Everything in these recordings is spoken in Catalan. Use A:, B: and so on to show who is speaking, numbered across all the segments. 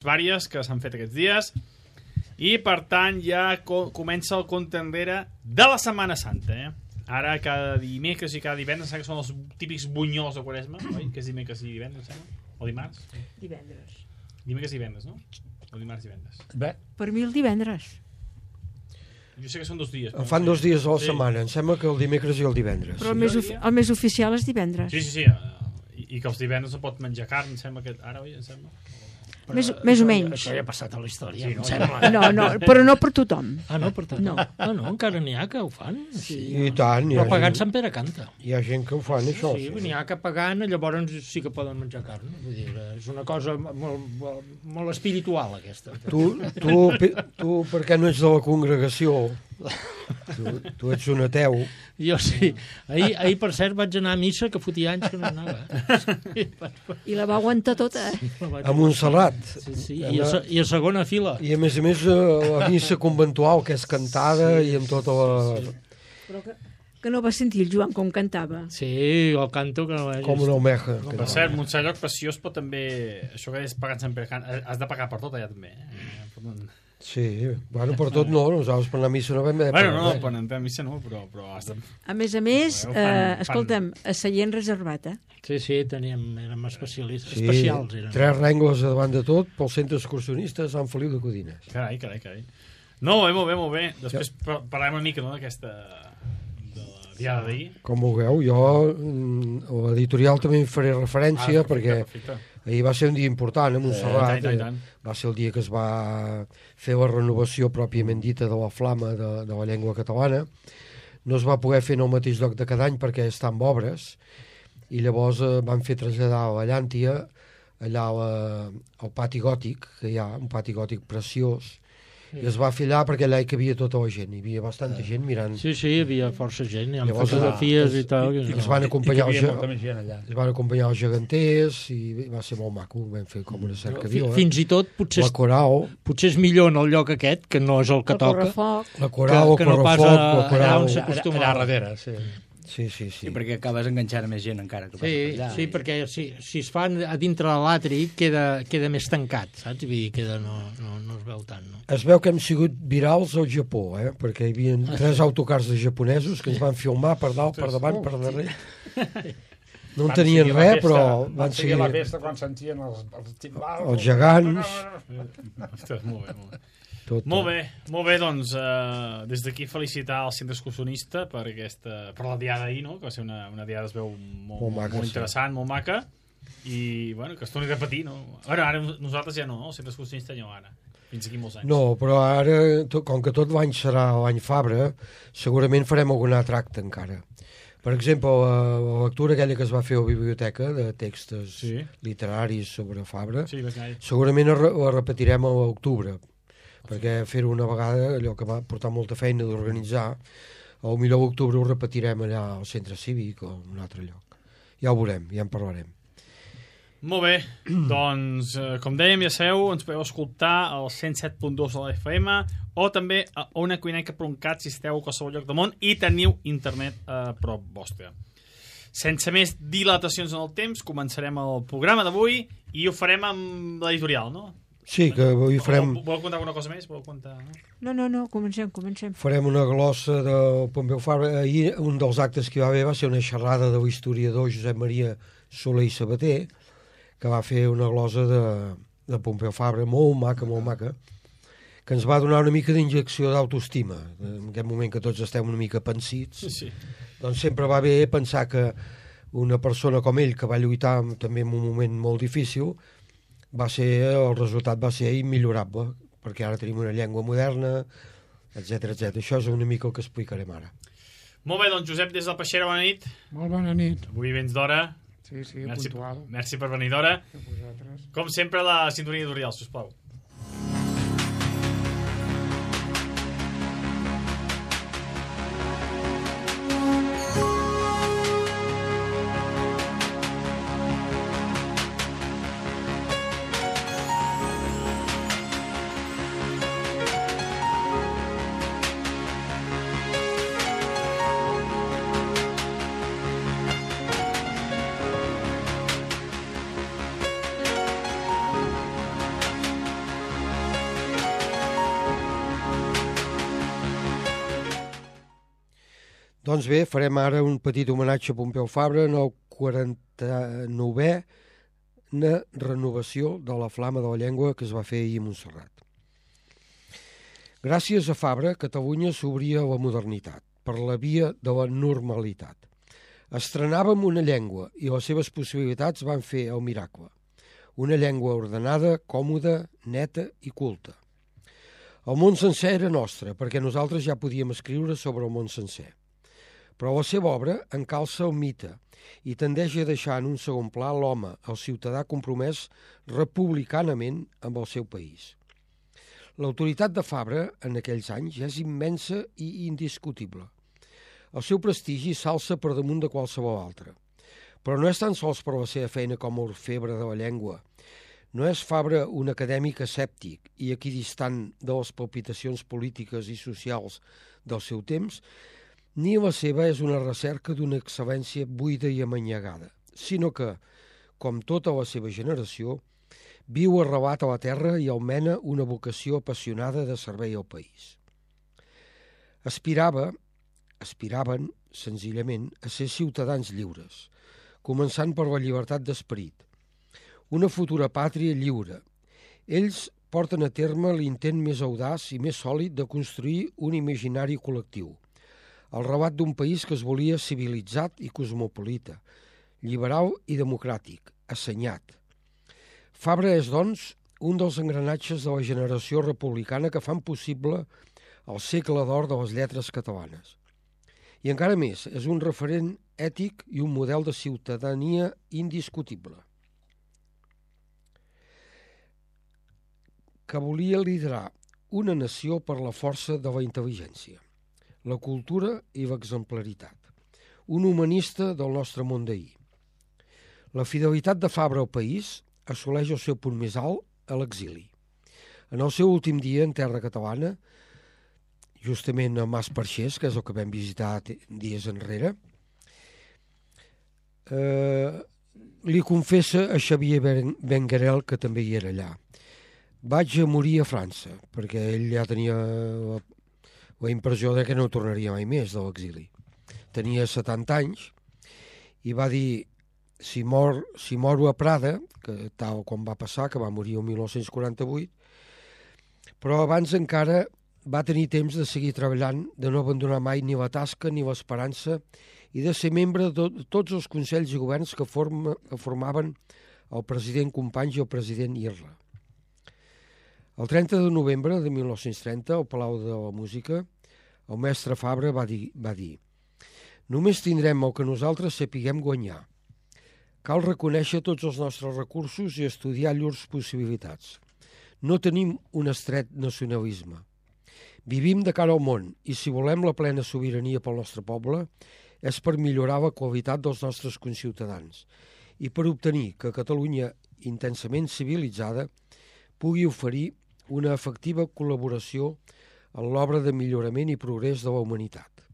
A: vàries que s'han fet aquests dies i per tant ja comença el compte enrere de la Setmana Santa, Ara cada dimecres i cada divendres que són els típics bunyols de Quaresma, oi? Que és dimecres i divendres, o dimarts?
B: Divendres.
A: Dimecres i divendres, no? O dimarts i divendres.
C: Bé.
B: Per mi el divendres.
A: Jo sé que són 2 dies.
C: En fan 2 dies a la setmana, em sembla que el dimecres i el divendres.
B: Però el més oficial és divendres.
A: Sí. I que els divendres no pot menjar carn, em sembla que... Ara, oi, em sembla?
B: Més o menys.
D: Això ja ha passat a la història,
A: sí,
D: em sembla.
B: No, però no per tothom.
D: No per tothom.
B: No.
D: No, encara n'hi ha que ho fan.
C: Sí, i tant.
D: Però pagant Sant Pere canta.
C: Hi ha gent que ho fan, això.
D: Sí, n'hi ha que pagant, llavors sí que poden menjar carn. Vull dir, és una cosa molt espiritual, aquesta.
C: Tu per què no ets de la congregació? Tu ets un ateu.
D: Jo sí. Ahir, per cert, vaig anar a missa, que fotia anys que no anava.
B: I la va aguantar tota.
C: A Montserrat.
D: Sí. I a segona fila.
C: I a més la missa conventual, que és cantada i amb tota la...
B: Però que no va sentir el Joan com cantava.
D: Sí, el canto que no vaig...
C: Com una almeja.
A: Per cert, Montseny, lloc preciós, però també... Això que és pagar Sant Pere, has de pagar per tot allà també.
C: Sí, bueno, per tot no, nosaltres per anar a missa no vam haver de pagar.
A: Bueno, per anar a missa no, però has de...
B: A més, escolta'm, a seient reservat,
D: Sí, érem especialistes.
C: Sí,
D: Especials eren.
C: 3 rengles davant de tot pel centre excursionista de Sant Feliu de Codines.
A: Carai. No, molt bé. Després parlarem una mica, no, d'aquesta... de la diada d'ahir.
C: Com vulgueu, jo a l'editorial també hi faré referència perquè ahir va ser un dia important a Montserrat. Va ser el dia que es va fer la renovació pròpiament dita de la flama de la llengua catalana. No es va poder fer en el mateix lloc de cada any perquè està en obres i llavors van fer traslladar a la Llàntia allà al pati gòtic, que hi ha un pati gòtic preciós, i es va fer allà perquè allà hi cabia tota la gent, hi havia bastanta gent mirant.
D: Sí, hi havia força gent, hi ha fotografies i tal.
C: I ens van acompanyar els geganters i va ser molt maco, vam fer com una cercavila.
D: Fins i tot potser és millor en el lloc aquest, que no és el que toca,
C: la coral,
D: que no pas allà on s'acostuma.
E: Allà darrere, sí.
C: Sí,
E: perquè acabes enganxant més gent encara.
D: Sí, perquè si es fan a dintre de l'atri queda més tancat, saps? Vull dir, no es veu tant, no?
C: Es veu que hem sigut virals al Japó, perquè hi havia 3 autocars de japonesos que ens van filmar per dalt, per davant, per darrere. No en tenien res, però van seguir
E: la festa quan sentien els timbals.
C: Els gegants.
A: Molt bé. Molt bé, doncs des d'aquí felicitar el centre excursionista per la diada ahir, no? Que va ser una diada, es veu molt interessant, molt maca, i bueno, que es torni a repetir, no? Ara nosaltres ja no, el centre excursionista ja no, ara fins aquí molts anys.
C: No, però ara, com que tot l'any serà l'any Fabra, segurament farem algun altre acte encara. Per exemple, la lectura aquella que es va fer a la biblioteca de textos literaris sobre Fabra, segurament la repetirem a l'octubre, perquè fer-ho una vegada, allò que va portar molta feina d'organitzar, al millor d'octubre ho repetirem allà al centre cívic o en un altre lloc. Ja ho veurem, ja en parlarem.
A: Molt bé, doncs, com dèiem, ja sabeu, ens podeu escoltar al 107.2 de la FM o també a onacuineca.cat si esteu a qualsevol lloc del món i teniu internet a prop vostre. Sense més dilatacions en el temps, començarem el programa d'avui i ho farem amb l'editorial, no?
C: Sí, que avui farem...
A: Voleu contar alguna cosa més?
B: No, comencem.
C: Farem una glossa del Pompeu Fabra. Ahir un dels actes que hi va haver va ser una xerrada de l'historiador Josep Maria Soler i Sabater, que va fer una glossa de Pompeu Fabra molt maca, que ens va donar una mica d'injecció d'autoestima. En aquest moment que tots estem una mica pensits, doncs sempre va bé pensar que una persona com ell, que va lluitar també en un moment molt difícil, el resultat va ser immillorable, perquè ara tenim una llengua moderna, etc. Això és una mica el que explicarem ara.
A: Molt bé, doncs Josep, des del Peixera, bona nit.
F: Molt bona nit.
A: Avui vens d'hora.
F: Sí, puntual.
A: Merci per venir d'hora. Com sempre, la sintonia editorial, sisplau.
C: Doncs bé, farem ara un petit homenatge a Pompeu Fabra en el 49è renovació de la Flama de la Llengua que es va fer ahir a Montserrat. Gràcies a Fabra, Catalunya s'obria a la modernitat, per la via de la normalitat. Estrenàvem una llengua i les seves possibilitats van fer el miracle. Una llengua ordenada, còmoda, neta i culta. El món sencer era nostre, perquè nosaltres ja podíem escriure sobre el món sencer. Però la seva obra encalça el mite i tendeix a deixar en un segon pla l'home, el ciutadà compromès republicanament amb el seu país. L'autoritat de Fabra en aquells anys ja és immensa i indiscutible. El seu prestigi s'alça per damunt de qualsevol altre. Però no és tan sols per la seva feina com a orfebre de la llengua. No és Fabra un acadèmic escèptic i equidistant de les palpitacions polítiques i socials del seu temps, ni la seva és una recerca d'una excel·lència buida i amanyagada, sinó que, com tota la seva generació, viu arrelat a la terra i almena una vocació apassionada de servei al país. Aspiraven, senzillament, a ser ciutadans lliures, començant per la llibertat d'esperit, una futura pàtria lliure. Ells porten a terme l'intent més audaç i més sòlid de construir un imaginari col·lectiu, el relat d'un país que es volia civilitzat i cosmopolita, liberal i democràtic, assenyat. Fabra és, doncs, un dels engranatges de la generació republicana que fan possible el segle d'or de les lletres catalanes. I encara més, és un referent ètic i un model de ciutadania indiscutible, que volia liderar una nació per la força de la intel·ligència, la cultura i l'exemplaritat, un humanista del nostre món d'ahir. La fidelitat de Fabra al país assoleix el seu punt més alt a l'exili. En el seu últim dia en terra catalana, justament a Mas Perxés, que és el que vam visitar dies enrere, li confessa a Xavier Benguerel, que també hi era allà: vaig a morir a França, perquè ell ja tenia la impressió de que no tornaria mai més de l'exili. Tenia 70 anys i va dir: si moro a Prada, que tal com va passar, que va morir el 1948, però abans encara va tenir temps de seguir treballant, de no abandonar mai ni la tasca ni l'esperança i de ser membre de tots els consells i governs que formaven el president Companys i el president Irla. El 30 de novembre de 1930, al Palau de la Música, el mestre Fabra va dir: només tindrem el que nosaltres sapiguem guanyar. Cal reconèixer tots els nostres recursos i estudiar llurs possibilitats. No tenim un estret nacionalisme. Vivim de cara al món i si volem la plena sobirania pel nostre poble és per millorar la qualitat dels nostres conciutadans i per obtenir que Catalunya, intensament civilitzada, pugui oferir una efectiva col·laboració en l'obra de millorament i progrés de la humanitat.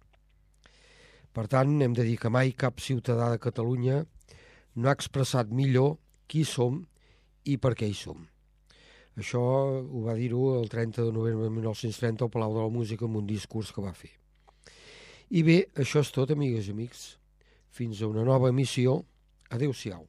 C: Per tant, hem de dir que mai cap ciutadà de Catalunya no ha expressat millor qui som i per què hi som. Això ho va dir-ho el 30 de novembre de 1930 al Palau de la Música en un discurs que va fer. I bé, això és tot, amigues i amics. Fins a una nova emissió. Adéu-siau.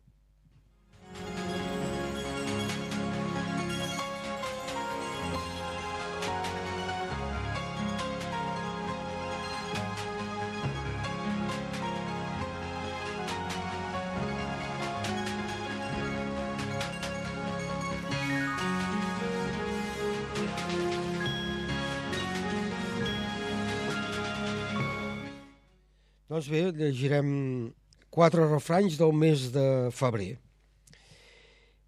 C: Doncs bé, llegirem 4 refranys del mes de febrer.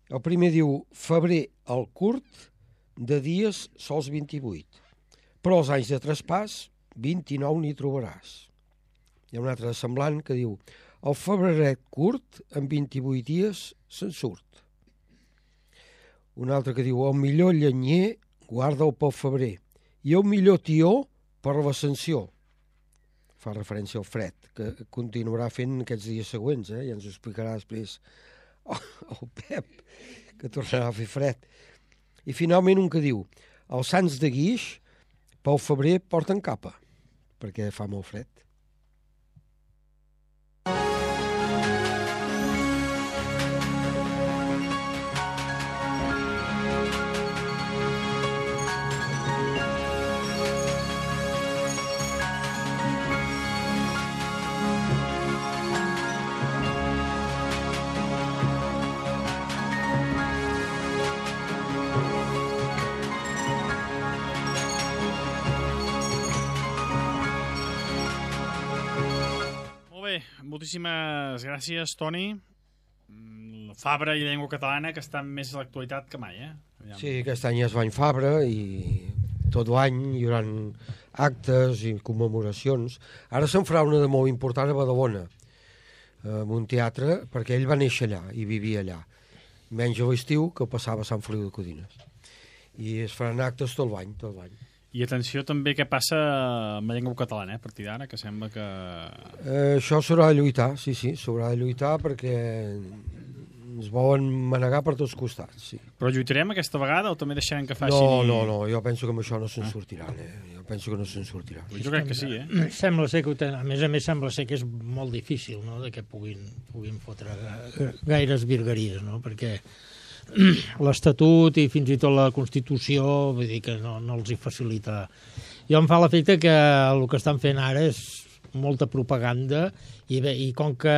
C: El primer diu: febrer el curt, de dies sols 28, però els anys de traspàs 29 n'hi trobaràs. Hi ha un altre semblant que diu: el febreret curt, en 28 dies se'n surt. Un altre que diu: el millor llenyer guarda'l pel febrer i el millor tió per l'ascensió. Fa referència al fred, que continuarà fent aquests dies següents, ja ens ho explicarà després el Pep, que tornarà a fer fred. I finalment un que diu: els sants de Guix pel febrer porten capa, perquè fa molt fred.
A: moltíssimes gràcies, Toni. Fabra i llengua catalana, que estan més a l'actualitat que mai, Aviam.
C: Sí, aquest any es va en Fabra i tot l'any hi haurà actes i commemoracions. Ara se'n farà una de molt important a Badalona, en un teatre, perquè ell va néixer allà i vivia allà. Menys a l'estiu, que passava a Sant Feliu de Codines. I es faran actes tot l'any, tot l'any.
A: I atenció també què passa amb la llengua catalana, a partir d'ara, que sembla que...
C: Això s'haurà de lluitar, sí, s'haurà de lluitar perquè ens volen manegar per tots costats, sí.
A: Però lluitarem aquesta vegada o també deixarem que facin...
C: No, jo penso que amb això no se'n sortiran, Jo penso que no se'n sortiran.
A: Jo crec que sí,
D: Sembla ser que, a més sembla ser que és molt difícil, no?, de que puguin fotre gaires virgueries, no?, perquè l'Estatut i fins i tot la Constitució, vull dir que no els hi facilita. Jo em fa l'efecte que el que estan fent ara és molta propaganda i com que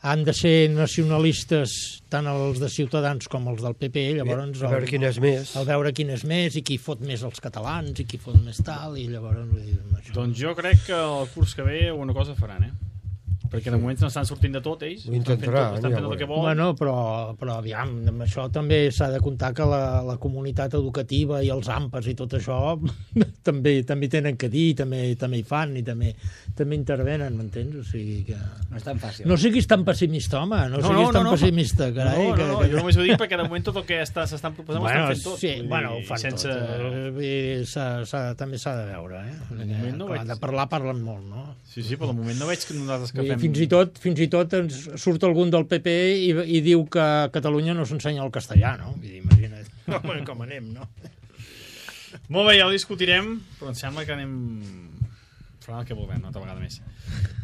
D: han de ser nacionalistes tant els de Ciutadans com els del PP, llavors...
C: A veure quin és més.
D: A veure quin és més i qui fot més els catalans i qui fot més tal, i llavors... Això...
A: Doncs jo crec que el curs que ve una cosa faran, perquè de moment n'estan sortint de tot, ells.
C: Ho intentaran,
A: estan fent tot el que volen.
D: Bueno, però aviam, amb això també s'ha de comptar que la comunitat educativa i els AMPAs i tot això també tenen que dir, també hi fan i també intervenen, m'entens? O sigui que...
E: No és tan fàcil.
D: No siguis tan pessimista, home, no siguis tan pessimista, carai.
A: No, jo només ho dic perquè de moment tot el que s'estan proposant ho estan fent tot.
D: Sí, ho fan tot. També s'ha de veure, Quan de parlar, parlen molt, no?
A: Sí, però de moment no veig que nosaltres que fem...
D: Fins i tot ens surt algun del PP i diu que a Catalunya no s'ensenya el castellà, no? Vull dir, imagina't com anem, no?
A: Molt bé, ja ho discutirem, però em sembla que anem... farà el que volem, una altra vegada més.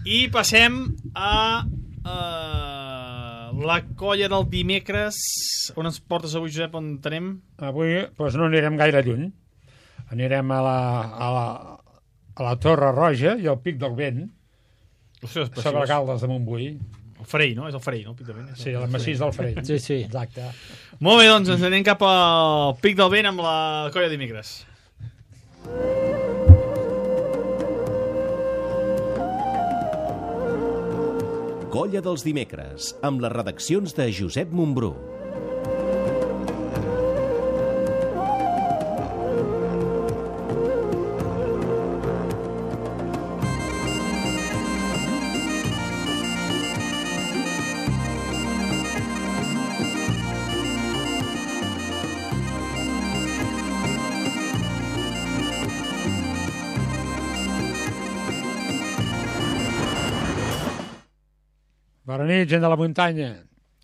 A: I passem a la colla del dimecres. On ens portes avui, Josep, on anem?
F: Avui no anirem gaire lluny. Anirem a la Torre Roja i al Pic del Vent, sobre Caldes de Montbui.
A: El Farell, no? És el Farell, no? El Pic del Vent.
F: Sí, el massís del Farell.
D: Sí.
F: Exacte.
A: Molt bé, doncs ens anem cap al Pic del Vent amb la colla de dimecres.
G: Colla dels dimecres, amb les redaccions de Josep Montbrú.
F: Bona nit, gent de la muntanya.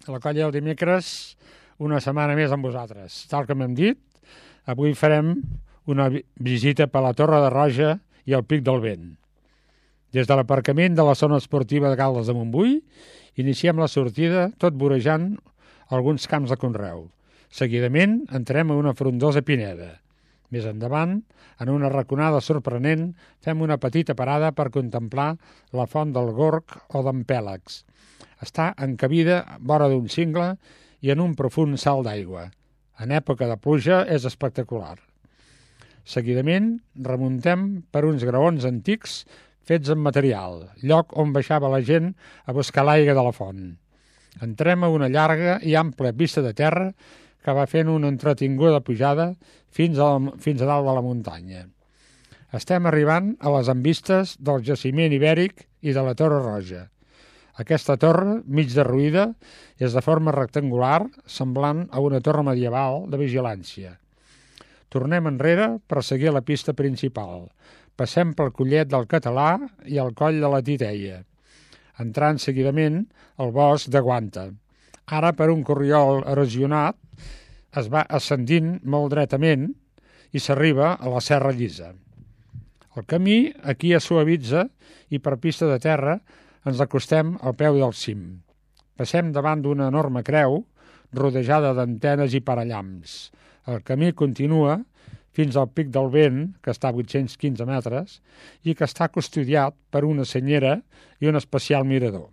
F: A la colla del dimecres, una setmana més amb vosaltres. Tal com hem dit, avui farem una visita per la Torre de Roja i el Pic del Vent. Des de l'aparcament de la zona esportiva de Caldes de Montbui, iniciem la sortida tot vorejant alguns camps de conreu. Seguidament, entrem a una frondosa pineda. Més endavant, en una raconada sorprenent, fem una petita parada per contemplar la font del Gorg o d'en Pèlags. Està encabida vora d'un cingle i en un profund salt d'aigua. En època de pluja és espectacular. Seguidament, remuntem per uns graons antics fets en material, lloc on baixava la gent a buscar l'aigua de la font. Entrem a una llarga i àmplia pista de terra que va fent una entretinguda pujada fins a dalt de la muntanya. Estem arribant a les envistes del jaciment ibèric i de la Torre Roja. Aquesta torre, mig derruïda, és de forma rectangular, semblant a una torre medieval de vigilància. Tornem enrere per seguir la pista principal. Passem pel Collet del Català i el Coll de la Titeia, entrant seguidament al bosc de Guanta. Ara, per un corriol erosionat, es va ascendint molt dretament i s'arriba a la Serra Llisa. El camí aquí es suavitza i per pista de terra ens acostem al peu del cim. Passem davant d'una enorme creu rodejada d'antenes i parallams. El camí continua fins al Pic del Vent, que està a 815 metres, i que està custodiat per una senyera i un especial mirador.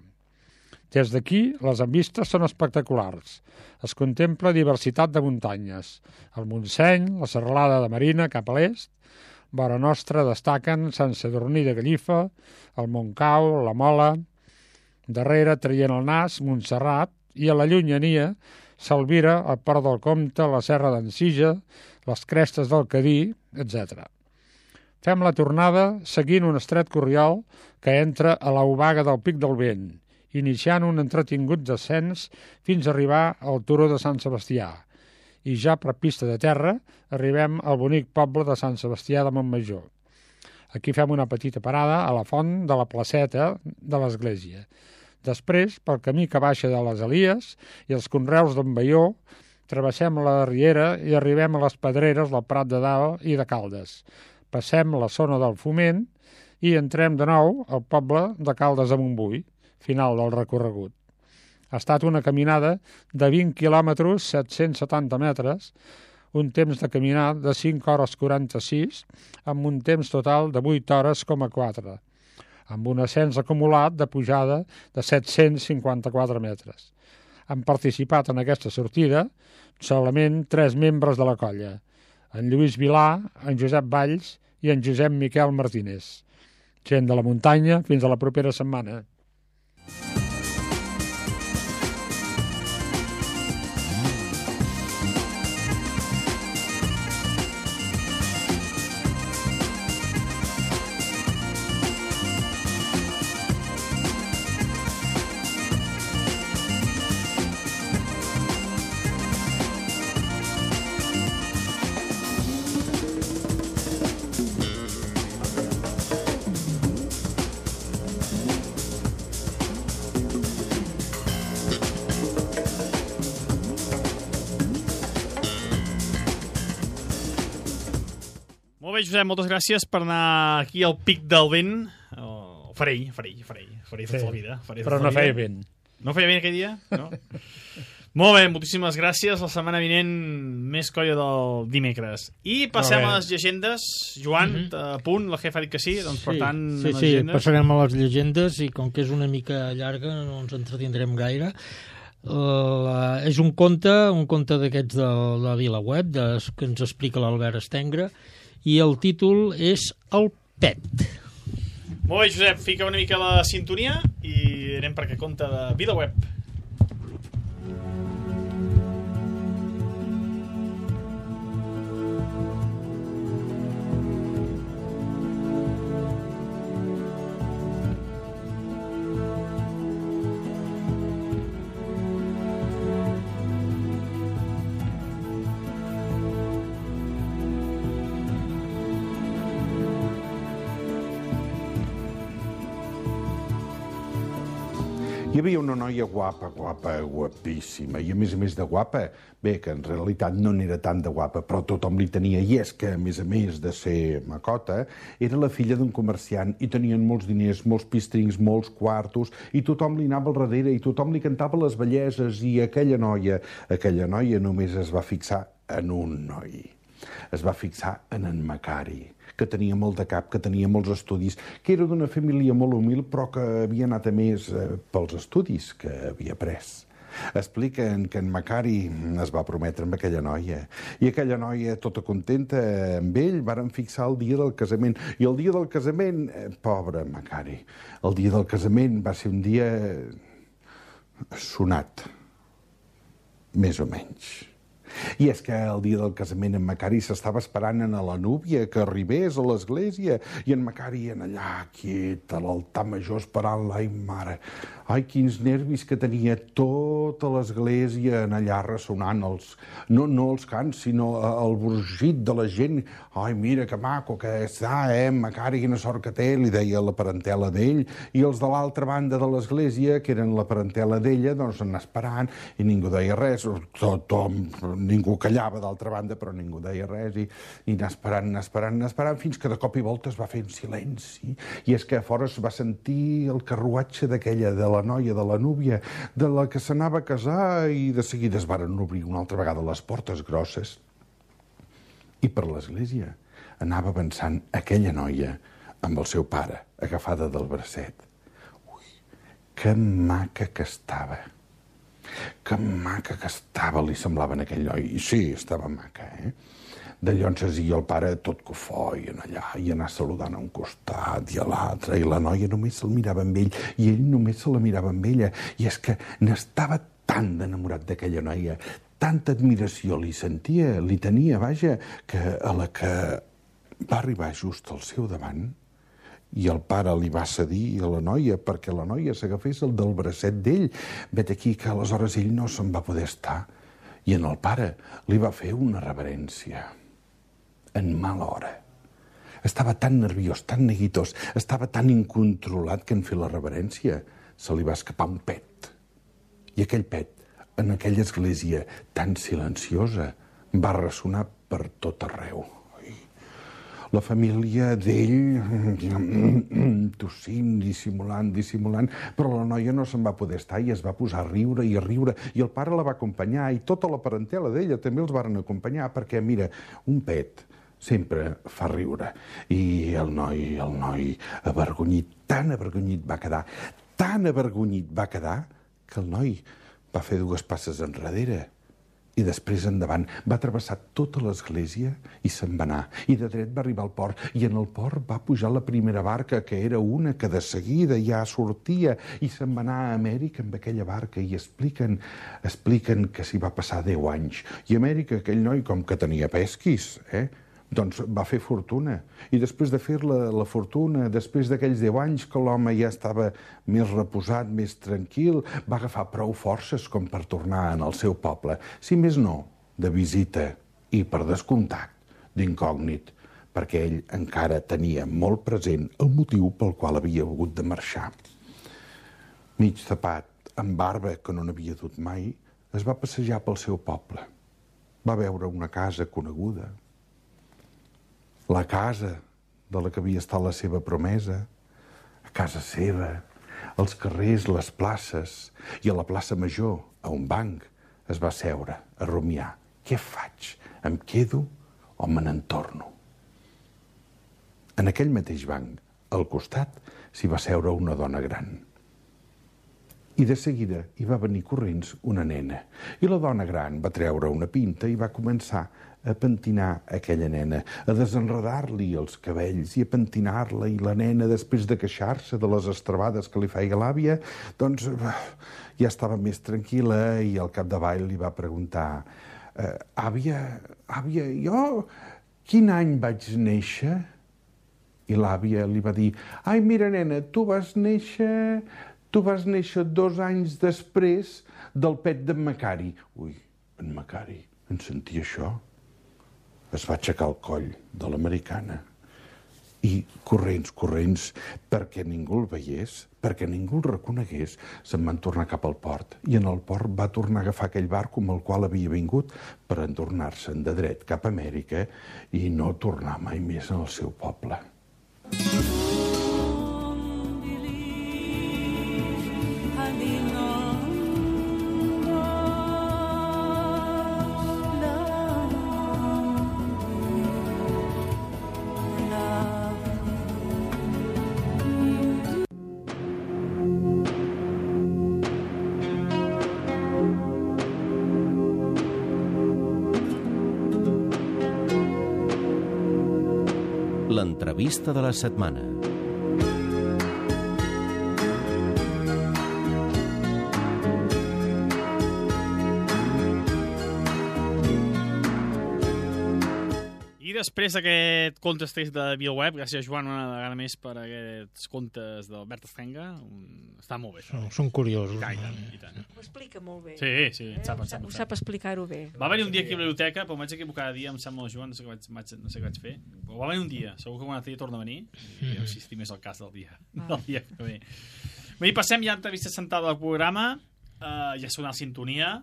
F: Des d'aquí, les envistes són espectaculars. Es contempla diversitat de muntanyes. El Montseny, la serralada de Marina cap a l'est, vora nostra destaquen Sant Sadurní de Gallifa, el Montcau, la Mola... Darrere, traient el nas, Montserrat, i a la llunyania s'albira el Port del Comte, la Serra d'en Sija, les crestes del Cadí, etc. Fem la tornada seguint un estret corriol que entra a l'Obaga del Pic del Vent, iniciant un entretingut descens fins a arribar al Turó de Sant Sebastià. I ja per pista de terra arribem al bonic poble de Sant Sebastià de Montmajor. Aquí fem una petita parada a la font de la placeta de l'església. Després, pel camí que baixa de les Elies i els conreus d'en Baió, travessem la riera i arribem a les pedreres del Prat de Dalt i de Caldes. Passem la zona del Foment i entrem de nou al poble de Caldes de Montbui, final del recorregut. Ha estat una caminada de 20 quilòmetres, 770 metres, un temps de caminar de 5 hores 46, amb un temps total de 8 hores, 4, amb un ascens acumulat de pujada de 754 metres. Han participat en aquesta sortida solament 3 membres de la colla, en Lluís Vilà, en Josep Valls i en Josep Miquel Martínez. Gent de la muntanya, fins a la propera setmana.
A: Molt bé, Josep, moltes gràcies per anar aquí al Pic del Vent. Farell tota la vida.
F: Però no feia vent.
A: No feia vent aquell dia? No? Molt bé, moltíssimes gràcies. La setmana vinent, més colla del dimecres. I passem a les llegendes. Joan, a punt, la jefa ha dit que sí, doncs per tant...
D: Sí, passarem a les llegendes i com que és una mica llarga no ens entretindrem gaire. És un conte d'aquests de la VilaWeb que ens explica l'Albert Estengre i el títol és El Pet.
A: Molt bé, Josep, fica una mica la sintonia i anem per aquest conte de VilaWeb.
H: Hi havia una noia guapa, guapíssima, i a més de guapa, bé, que en realitat no n'era tant de guapa, però tothom li tenia, i és que, a més de ser macota, era la filla d'un comerciant, i tenien molts diners, molts pistrings, molts quartos, i tothom li anava al darrere, i tothom li cantava les belleses, i aquella noia només es va fixar en un noi. Es va fixar en Macari, que tenia molt de cap, que tenia molts estudis, que era d'una família molt humil, però que havia anat a més pels estudis que havia pres. Expliquen que en Macari es va prometre amb aquella noia, i aquella noia, tota contenta amb ell, varen fixar el dia del casament. I el dia del casament, pobre Macari, el dia del casament va ser un dia sonat, més o menys. I és que el dia del casament en Macari s'estava esperant a la núvia que arribés a l'església, i en Macari en allà quiet a l'altar major esperant-la. Ai, mare, ai, quins nervis que tenia tota l'església en allà ressonant no els cants, sinó el brugit de la gent. Ai, mira que maco que està, Macari, quina sort que té, li deia la parentela d'ell, i els de l'altra banda de l'església, que eren la parentela d'ella, doncs anar esperant, i ningú deia res, ningú callava d'altra banda, però ningú deia res, i anar esperant, fins que de cop i volta es va fer en silenci. I és que a fora es va sentir el carruatge d'aquella, de la noia, de la núvia, de la que s'anava a casar, i de seguida es varen obrir una altra vegada les portes grosses. I per l'església anava avançant aquella noia amb el seu pare, agafada del bracet. Ui, que maca que estava! Que maca que estava, li semblava a aquell noi. I sí, estava maca, De llonses i el pare tot cofoi en allà, i anar saludant a un costat i a l'altre, i la noia només se'l mirava amb ell, i ell només se la mirava amb ella, i és que n'estava tan enamorat d'aquella noia, tanta admiració li sentia, li tenia, vaja, que a la que va arribar just al seu davant, i el pare li va cedir a la noia perquè la noia s'agafés el del bracet d'ell. Vet aquí que aleshores ell no se'n va poder estar, i en el pare li va fer una reverència. En mala hora. Estava tan nerviós, tan neguitós, estava tan incontrolat que en fer la reverència se li va escapar un pet. I aquell pet, en aquella església tan silenciosa, va ressonar per tot arreu. La família d'ell, tossint, dissimulant, però la noia no se'n va poder estar i es va posar a riure, i el pare la va acompanyar, i tota la parentela d'ella també els varen acompanyar, perquè, mira, un pet sempre fa riure. I el noi avergonyit, tan avergonyit va quedar, que el noi va fer 2 passes enrere i després endavant. Va travessar tota l'església i se'n va anar. I de dret va arribar al port, i en el port va pujar la primera barca, que era una que de seguida ja sortia, i se'n va anar a Amèrica amb aquella barca, i expliquen que s'hi va passar 10 anys. I a Amèrica aquell noi, com que tenia pesquis, doncs va fer fortuna. I després de fer la fortuna, després d'aquells 10 anys que l'home ja estava més reposat, més tranquil, va agafar prou forces com per tornar en el seu poble. Si més no, de visita i, per descomptat, d'incògnit, perquè ell encara tenia molt present el motiu pel qual havia hagut de marxar. Mig tapat, amb barba que no n'havia dut mai, es va passejar pel seu poble. Va veure una casa coneguda, la casa de la que havia estat la seva promesa, a casa seva, els carrers, les places, i a la plaça Major, a un banc, es va seure a rumiar. Què faig? Em quedo o me n'entorno? En aquell mateix banc, al costat, s'hi va seure una dona gran. I de seguida hi va venir corrents una nena. I la dona gran va treure una pinta i va començar a pentinar aquella nena, a desenredar-li els cabells i a pentinar-la, i la nena, després de queixar-se de les estrabades que li feia l'àvia, doncs ja estava més tranquil·la, i al capdavall li va preguntar: àvia, jo quin any vaig néixer? I l'àvia li va dir: ai, mira, nena, tu vas néixer 2 anys després del pet d'en Macari. Ui, en Macari, en sentia això? Es va aixecar el coll de l'americana. I corrents, perquè ningú el veiés, perquè ningú el reconegués, se'n van tornar cap al port. I en el port va tornar a agafar aquell barco amb el qual havia vingut per entornar-se'n de dret cap a Amèrica i no tornar mai més al seu poble.
G: L'entrevista de la setmana.
A: I després d'aquest contes text de ViaWeb, gràcies, Joan, una vegada més per aquests contes d'Albert Estenga. Està molt bé.
D: Són curiosos.
A: I tant.
B: Ho explica molt bé.
A: Sí, ho
B: sap explicar-ho bé.
A: Va venir un dia aquí a la biblioteca, però m'haig equivocar cada dia, em sembla, Joan, no sé què vaig fer. Però va venir un dia, segur que un altre dia torna a venir, i no sé si més el cas del dia que ve. Bé, passem ja a entrevista sentada al programa, ja sona la sintonia.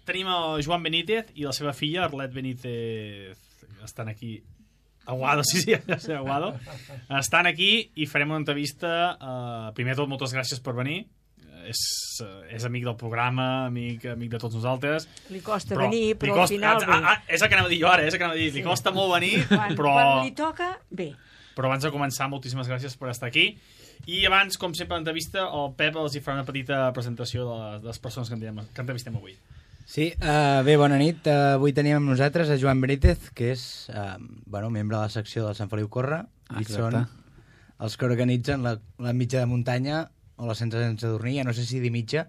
A: Tenim el Joan Benítez i la seva filla, Arlet Benítez, estan aquí. Aguado, sí, Aguado. Estan aquí i farem una entrevista. Primer de tot, moltes gràcies per venir. És amic del programa, amic de tots nosaltres.
B: Li costa venir, però al final ve.
A: És el que anava a dir jo ara, li costa molt venir, però...
B: Quan li toca, bé.
A: Però abans de començar, moltíssimes gràcies per estar aquí. I abans, com sempre, l'entrevista, el Pep els hi farà una petita presentació de les persones que entrevistem avui.
E: Sí, bé, bona nit. Avui tenim amb nosaltres a Joan Benítez, que és membre de la secció del Sant Feliu Corre, i són els que organitzen la mitja de muntanya o la sense dormir, no sé si dir mitja.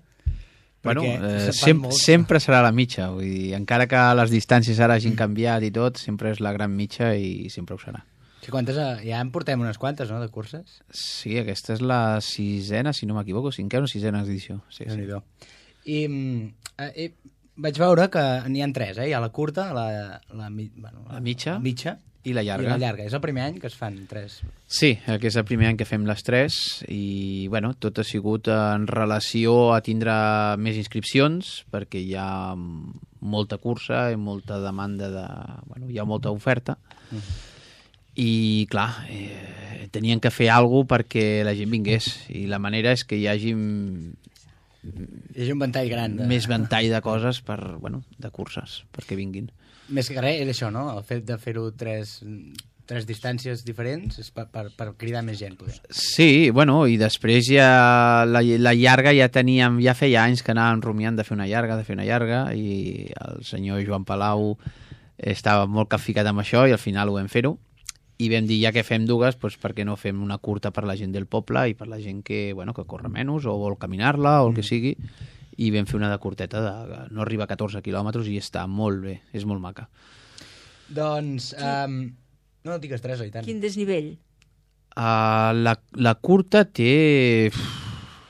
I: Bueno, sempre serà la mitja, vull dir, encara que les distàncies ara hagin canviat i tot, sempre és la gran mitja i sempre ho serà.
E: Sí, ja en portem unes quantes, no?, de curses.
I: Sí, aquesta és la 6a, si no m'equivoco, 5a o 6a edició. Sí.
E: I vaig veure que n'hi ha 3, Hi ha la curta, la
I: mitja i la llarga.
E: I la llarga. És el primer any que es fan 3.
I: Sí, que és el primer any que fem les 3 i, tot ha sigut en relació a tindre més inscripcions perquè hi ha molta cursa i molta demanda hi ha molta oferta. I, clar, tenien que fer alguna cosa perquè la gent vingués i la manera és que hi hagi
E: un ventall gran.
I: Més ventall de coses de curses, perquè vinguin.
E: Més que res és això, no? El fet de fer-ho 3 distàncies diferents és per cridar més gent, poder.
I: Sí, i després ja la llarga ja feia anys que anàvem rumiant de fer una llarga, i el senyor Joan Palau estava molt capficat amb això i al final ho vam fer-ho. I vam dir, ja que fem dues, per què no fem una curta per la gent del poble i per la gent que corre menys o vol caminar-la o el que sigui, i vam fer una de curteta, no arriba a 14 quilòmetres i està molt bé, és molt maca.
E: Doncs, no digues 3, oi tant?
B: Quin desnivell?
I: La curta té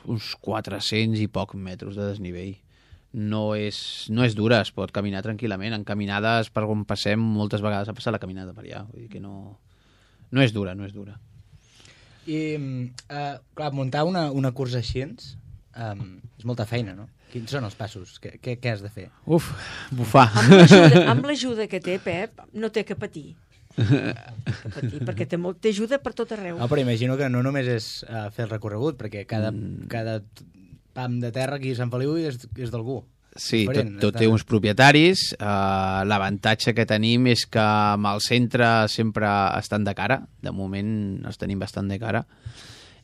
I: uns 400 i poc metres de desnivell. No és dura, es pot caminar tranquil·lament. En caminades per on passem, moltes vegades ha passat la caminada per allà, vull dir que no és dura.
E: I, clar, muntar una cursa així és molta feina, no? Quins són els passos? Què has de fer?
I: Bufar.
B: Amb l'ajuda que té, Pep, no té que patir. Perquè té ajuda per tot arreu.
E: Però imagino que no només és fer el recorregut, perquè cada pam de terra aquí a Sant Feliu és d'algú.
I: Sí, tot té uns propietaris. L'avantatge que tenim és que amb el centre sempre estan de cara. De moment els tenim bastant de cara.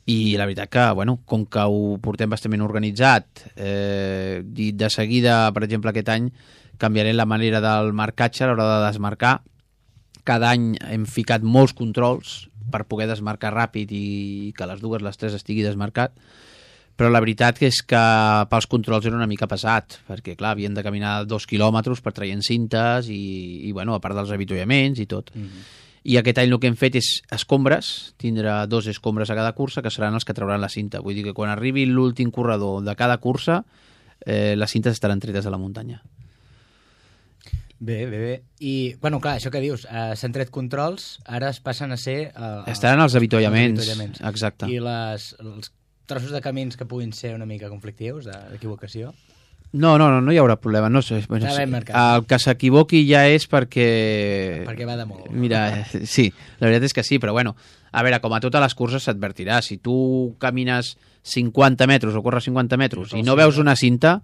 I: I la veritat que, com que ho portem bastant organitzat, i de seguida, per exemple, aquest any, canviarem la manera del marcatge a l'hora de desmarcar. Cada any hem ficat molts controls per poder desmarcar ràpid i que les 3 estigui desmarcat. Però la veritat és que pels controls era una mica pesat, perquè, clar, havien de caminar 2 quilòmetres per traient cintes i a part dels avituallaments i tot. I aquest any el que hem fet és escombres, tindre 2 escombres a cada cursa, que seran els que trauran la cinta. Vull dir que quan arribi l'últim corredor de cada cursa, les cintes estaran tretes de la muntanya.
E: Bé. I, clar, això que dius, s'han tret controls, ara es passen a ser...
I: Estaran els avituallaments, exacte.
E: I els trossos de camins que puguin ser una mica conflictius, d'equivocació?
I: No hi haurà problema. No sé, el que s'equivoqui ja és perquè...
E: Perquè va de molt.
I: Mira, sí, la veritat és que sí, però a veure, com a totes les curses s'advertirà. Si tu camines 50 metres o corres 50 metres i no veus una cinta,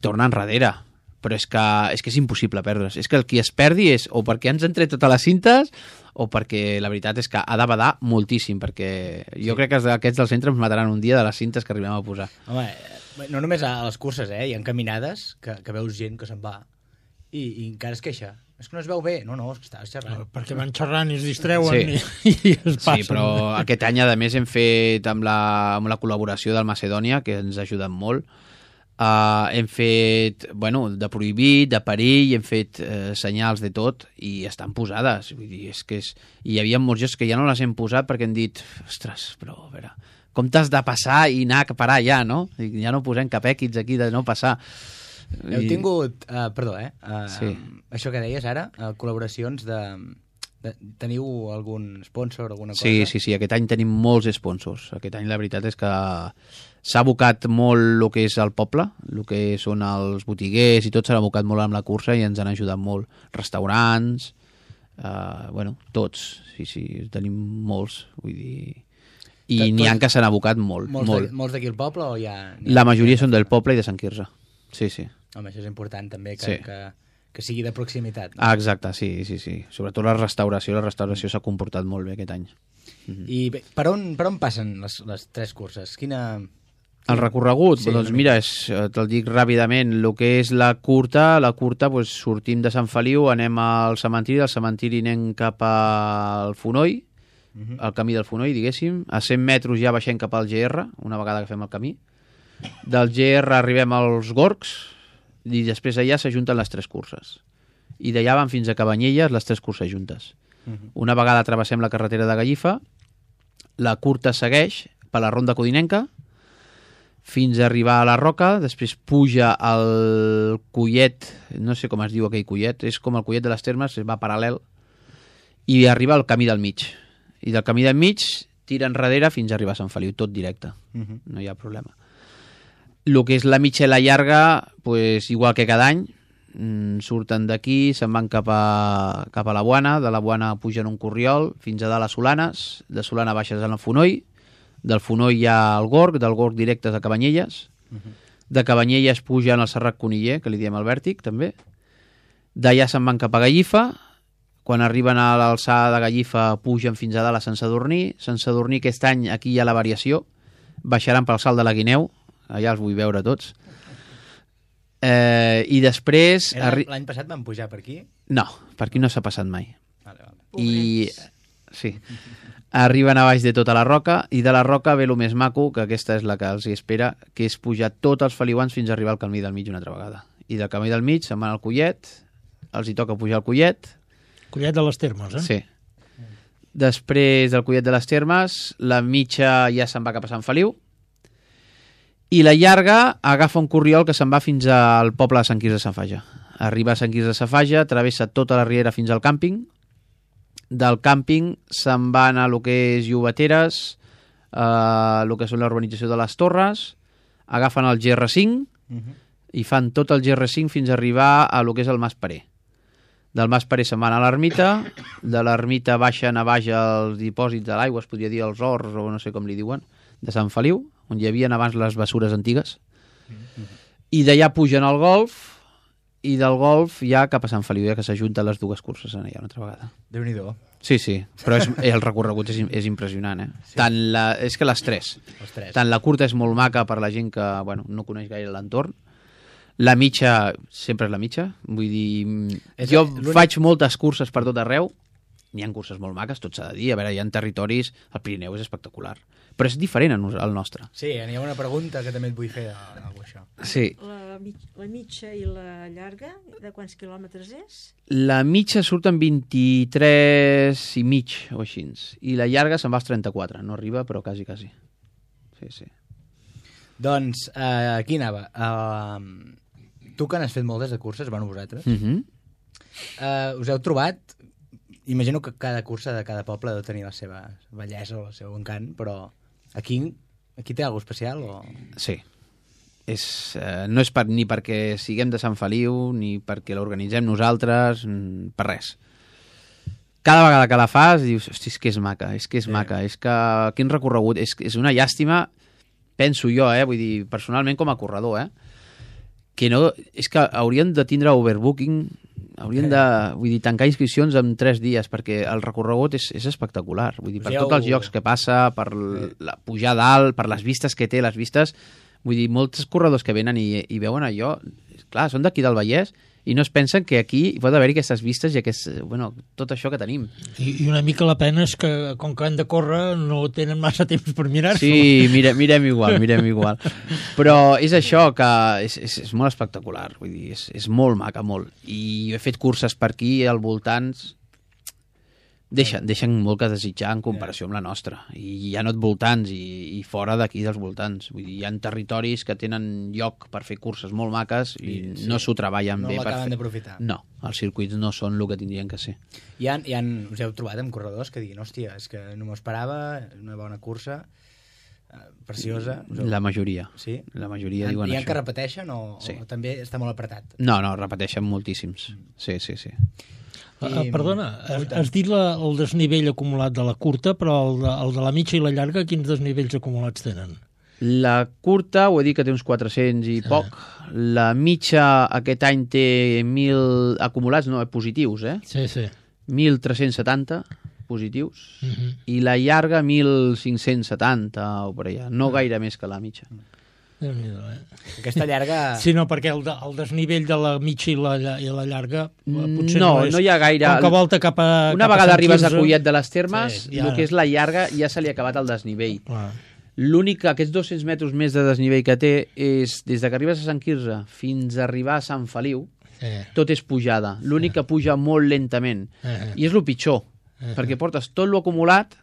I: torna enrere. Però és que és impossible perdre's. És que el qui es perdi és o perquè ens han tret totes les cintes o perquè la veritat és que ha de badar moltíssim, perquè jo crec que aquests del centre ens mataran un dia de les cintes que arribem a posar.
E: Home, no només a les curses, hi ha caminades que veus gent que se'n va i encara es queixa. És que no es veu bé. No, és que estàs xerrant.
D: Perquè van xerrant i es distreuen i es passen.
I: Sí, però aquest any, a més, hem fet amb la col·laboració del Macedònia, que ens ha ajudat molt. Hem fet, de prohibit, de perill, hem fet senyals de tot i estan posades. Vull dir, i hi havia molts jocs que ja no les hem posat perquè hem dit, ostres, però a veure, com t'has de passar i anar a parar ja, no? Ja no posem cap equips aquí de no passar.
E: Heu tingut,
I: sí.
E: Això que deies ara, col·laboracions teniu algun sponsor, alguna cosa?
I: Sí, aquest any tenim molts sponsors. Aquest any la veritat és que s'ha abocat molt el que és el poble, el que són els botiguers i tot s'ha abocat molt amb la cursa i ens han ajudat molt. Restaurants, tots, sí, tenim molts, vull dir... I n'hi ha que s'han abocat molt.
E: Molts d'aquí al poble o ja...
I: La majoria són del poble i de Sant Quirze, sí.
E: Home, això és important també, que sigui de proximitat.
I: No? Exacte, sí. Sobretot la restauració s'ha comportat molt bé aquest any.
E: I bé, per on passen les 3 curses?
I: El recorregut?
E: Sí,
I: Doncs
E: una
I: mira, te'l dic ràpidament. El que és la curta, doncs, sortim de Sant Feliu, anem al cementiri, del cementiri anem cap al Fonoll, al camí del Fonoll, diguéssim. A 100 metres ja baixem cap al GR, una vegada que fem el camí. Del GR arribem als Gorgs i després allà s'ajunten les 3 curses. I d'allà van fins a Cabanyelles les 3 curses juntes. Una vegada travessem la carretera de Gallifa, la curta segueix per la ronda codinenca fins a arribar a la Roca, després puja al Collet, no sé com es diu aquell Collet, és com el Collet de les Termes, va paral·lel, i arriba al camí del mig. I del camí del mig tira enrere fins a arribar a Sant Feliu, tot directe, no hi ha problema. El que és la mitja i la llarga, pues, igual que cada any, surten d'aquí, se'n van cap a la Boana, de la Boana pugen un corriol fins a dalt a Solanes, de Solana baixes a la Fonoll, del Fonoll hi ha el Gorg, del Gorg directes a Cabanyelles, de Cabanyelles pugen al Serrat Coniller, que li diem el Vèrtic, també. D'allà se'n van cap a Gallifa, quan arriben a l'alçada de Gallifa pugen fins a dalt a Sant Sadurní. Sant Sadurní aquest any aquí hi ha la variació, baixaran pel Salt de la Guineu, allà els vull veure tots. I després...
E: L'any passat van pujar per aquí?
I: No, per aquí no s'ha passat mai.
E: Vale.
I: I... Sí. Arriben a baix de tota la Roca i de la Roca ve el més maco, que aquesta és la que els hi espera, que és pujar tots els feliuans fins a arribar al camí del mig una altra vegada. I del camí del mig se'n van al Collet, els hi toca pujar al Collet.
D: Collet de les Termes, eh?
I: Sí. Després del Collet de les Termes, la mitja ja se'n va cap a Sant Feliu i la llarga agafa un corriol que se'n va fins al poble de Sant Quirze de Safaja. Arriba a Sant Quirze de Safaja, travessa tota la riera fins al càmping. Del càmping se'n van a lo que és Llobateres, el que són l'urbanització de les Torres, agafen el GR5 i fan tot el GR5 fins a arribar a lo que és el Mas Parer. Del Mas Parer se'n van a l'ermita, de l'ermita baixen a baix als dipòsits de l'aigua, es podria dir els horts o no sé com li diuen, de Sant Feliu, on hi havia abans les bessures antigues, i d'allà pugen al Golf, i del Golf ja cap a Sant Feliu, ja que s'ajunten les dues curses allà una altra vegada.
E: Déu-n'hi-do.
I: Sí, però el recorregut és impressionant, eh? Sí. És que les tres. Tant la curta és molt maca per la gent que no coneix gaire l'entorn, la mitja sempre és la mitja, vull dir, jo faig moltes curses per tot arreu, n'hi ha curses molt maques, tot s'ha de dir, a veure, hi ha territoris, el Pirineu és espectacular, però és diferent al nostre.
E: Sí, n'hi ha una pregunta que també et vull fer d'algú això.
I: Sí.
B: La mitja i la llarga, de quants quilòmetres és?
I: La mitja surten 23 i mig o així, i la llarga se'n va als 34, no arriba, però quasi. Sí.
E: Doncs, aquí anava. Tu que n'has fet moltes de curses, vosaltres, us heu trobat... Imagino que cada cursa de cada poble deu tenir la seva bellesa o el seu encant, però aquí té alguna especial? O...
I: Sí. No és ni perquè siguem de Sant Feliu, ni perquè l'organitzem nosaltres, per res. Cada vegada que la fas, dius, hosti, és que és maca, maca, és que quin recorregut, és una llàstima, penso jo, vull dir, personalment com a corredor, que no, és que haurien de tindre overbooking, haurien de, vull dir, tancar inscripcions en 3 dies, perquè el recorregut és espectacular, vull dir, per tots els llocs que passa, per pujar dalt, per les vistes que té, vull dir, molts corredors que venen i veuen allò, clar, són d'aquí del Vallès, i no es pensen que aquí hi pot haver aquestes vistes i tot això que tenim.
D: I una mica la pena és que, com que han de córrer, no tenen massa temps per mirar-s'ho.
I: Sí, mirem igual. Però és això, que és molt espectacular, vull dir, és molt maca, molt. I he fet curses per aquí, al voltants, deixen molt que desitjar en comparació amb la nostra. I hi ha voltants i fora d'aquí dels voltants. Vull dir, hi ha territoris que tenen lloc per fer curses molt maques i no s'ho treballen bé.
E: No l'acaben d'aprofitar.
I: No, els circuits no són el que tindrien que ser.
E: Us heu trobat amb corredors que diguin, hòstia, és que no m'ho esperava, una bona cursa, preciosa.
I: La majoria.
E: Sí?
I: La majoria diuen això.
E: Hi ha que repeteixen o també està molt apretat?
I: No, repeteixen moltíssims. Sí.
D: Perdona, has dit el desnivell acumulat de la curta, però el de la mitja i la llarga, quins desnivells acumulats tenen?
I: La curta, ho he dit que té uns 400 i poc. La mitja aquest any té 1.000 acumulats, no, positius,
D: Sí.
I: 1.370 positius. I la llarga 1.570 o per allà. No gaire més que la mitja.
D: Déu-n'hi-do,
E: Aquesta llarga...
D: Sí, no, perquè el desnivell de la mitja i la llarga potser
I: no
D: és...
I: hi ha gaire.
D: Com que volta cap a...
I: Una
D: cap a
I: vegada
D: Sant
I: arribes a
D: Quirze,
I: Collet de les Termes,
D: sí, ja.
I: el que és la llarga ja se li ha acabat el desnivell.
D: Clar.
I: L'únic que aquests 200 metres més de desnivell que té és des de que arribes a Sant Quirze fins a arribar a Sant Feliu, tot és pujada. L'únic que puja molt lentament. I és el pitjor, perquè portes tot lo acumulat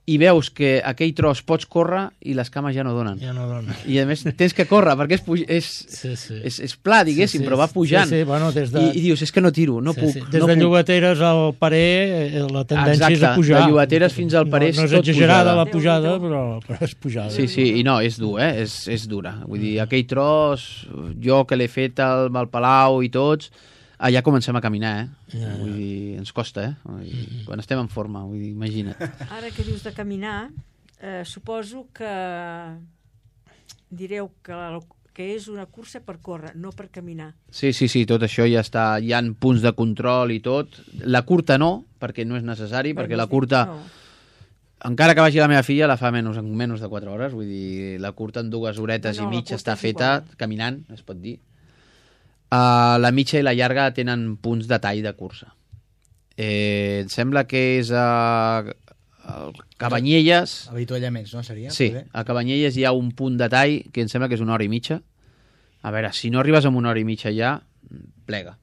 I: i veus que aquell tros pots córrer i les cames ja no donen.
D: Ja no donen.
I: I a més tens que córrer perquè és pla, diguéssim, però va pujant.
D: Bueno,
I: I dius, és que no tiro, no puc.
D: Des de Llobateres al Parer la tendència és a pujar.
I: De Llobateres fins al Parer és tot pujada.
D: No és exagerada la pujada, però és pujada.
I: Sí, i no, és dur, és dura. Vull dir, aquell tros, jo que l'he fet al Palau i tots, allà comencem a caminar, Vull dir, ens costa, quan estem en forma, vull dir, imagina't.
B: Ara que dius de caminar, suposo que direu que és una cursa per córrer, no per caminar.
I: Sí, tot això ja està, hi ha punts de control i tot. La curta no, perquè no és necessari, perquè la curta... No. Encara que vagi la meva filla, la fa menys de 4 hores, vull dir, la curta en 2 horetes i mitja està feta, caminant, es pot dir. La mitja i la llarga tenen punts de tall de cursa. Em sembla que és a Cabanyelles.
E: Avituallaments, no seria?
I: Sí, a Cabanyelles hi ha un punt de tall que em sembla que és 1 hora i mitja. A veure, si no arribes amb 1 hora i mitja ja, plega.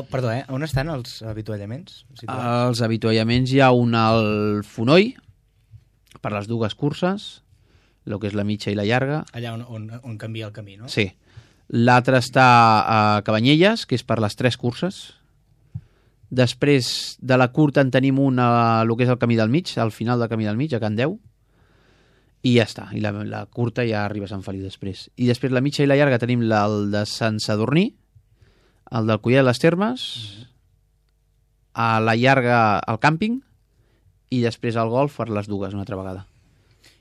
E: Perdó, on estan els avituallaments?
I: Els avituallaments hi ha un al Fonoll, per les 2 curses, el que és la mitja i la llarga.
E: Allà on canvia el camí, no?
I: Sí. L'altre està a Cabanyelles, que és per les 3 curses. Després de la curta en tenim un a el que és el camí del mig, al final del camí del mig, a Can Deu. I ja està. I la curta ja arriba a Sant Feliu després. I després la mitja i la llarga tenim el de Sant Sadurní, el del Collet de les Termes, a la llarga al càmping, i després al golf per les 2 una altra vegada.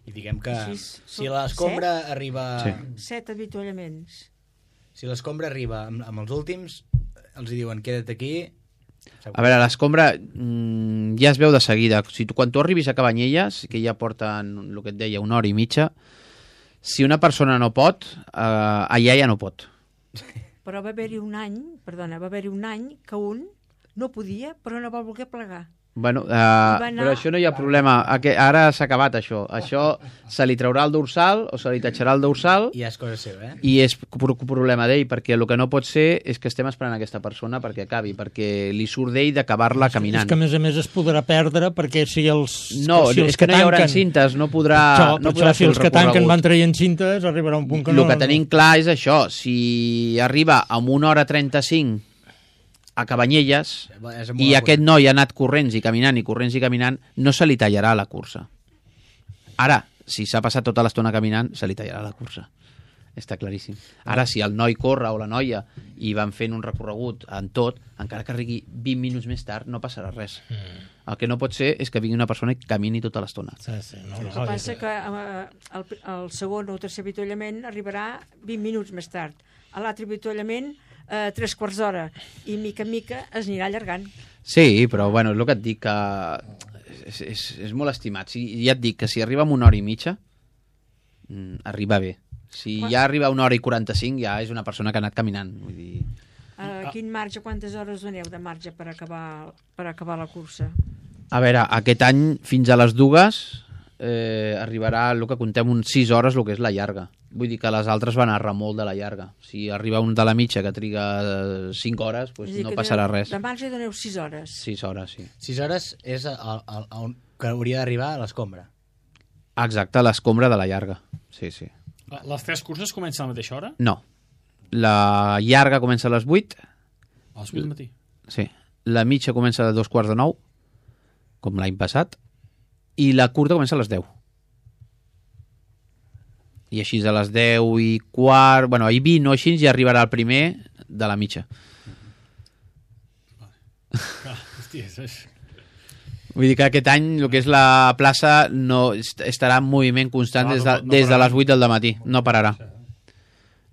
E: I diguem que si l'escombra arriba...
B: 7 avituallaments.
E: Si l'escombra arriba amb els últims, els diuen queda't aquí...
I: A veure, l'escombra ja es veu de seguida. Quan tu arribis a Cabanyelles, que ja porten el que et deia 1 hora i mitja, si una persona no pot, allà ja no pot.
B: Però va haver-hi un any que un no podia, però no va voler plegar.
I: Bueno, però això no hi ha problema. Ara s'ha acabat això. Això se li traurà el dorsal o se li tatxarà el dorsal
E: i és cosa seva,
I: i és problema d'ell, perquè el que no pot ser és que estem esperant aquesta persona perquè acabi, perquè li surt d'ell d'acabar-la caminant.
D: És que a més es podrà perdre perquè si els...
I: No, és que no hi haurà cintes, no podrà
D: si els que tanquen van traient cintes, arribarà un punt que no...
I: El que tenim clar és això, si arriba amb 1 hora 35 a Cabanyelles i aquest noi ha anat corrents i caminant, no se li tallarà la cursa. Ara, si s'ha passat tota l'estona caminant, se li tallarà la cursa. Està claríssim. Ara, si el noi corre o la noia i van fent un recorregut en tot, encara que arribi 20 minuts més tard, no passarà res. El que no pot ser és que vingui una persona i camini tota l'estona.
B: El que passa que el segon o tercer avituallament arribarà 20 minuts més tard. A l'altre avituallament 3/4 d'hora i mica en mica es anirà allargant.
I: Sí, però bueno, és el que et dic que és molt estimat. Ja et dic que si arriba amb 1 hora i mitja arriba bé. Si ja arriba a 1 hora i 45 ja és una persona que ha anat caminant. Vull dir...
B: Quin marge, quantes hores doneu de marge per acabar la cursa?
I: A veure, aquest any fins a les 2 arribarà el que contem uns 6 hores el que és la llarga. Vull dir que les altres van a remolc de la llarga. Si arriba un de la mitja que triga 5 hores, doncs no passarà res.
B: De marge doneu 6 hores.
I: 6 hores, sí.
E: 6 hores és on que hauria d'arribar a l'escombra.
I: Exacte, l'escombra de la llarga. Sí.
A: Les 3 curses comencen a la mateixa hora?
I: No. La llarga comença a les 8.
A: A les 8 del matí?
I: Sí. La mitja comença a 8:45, com l'any passat, i la curta comença a les 10. I així a les 10:15... Bueno, ahir 20 o així ja arribarà el primer de la mitja. Vull dir que aquest any el que és la plaça no estarà en moviment constant des de les 8 del matí. No pararà.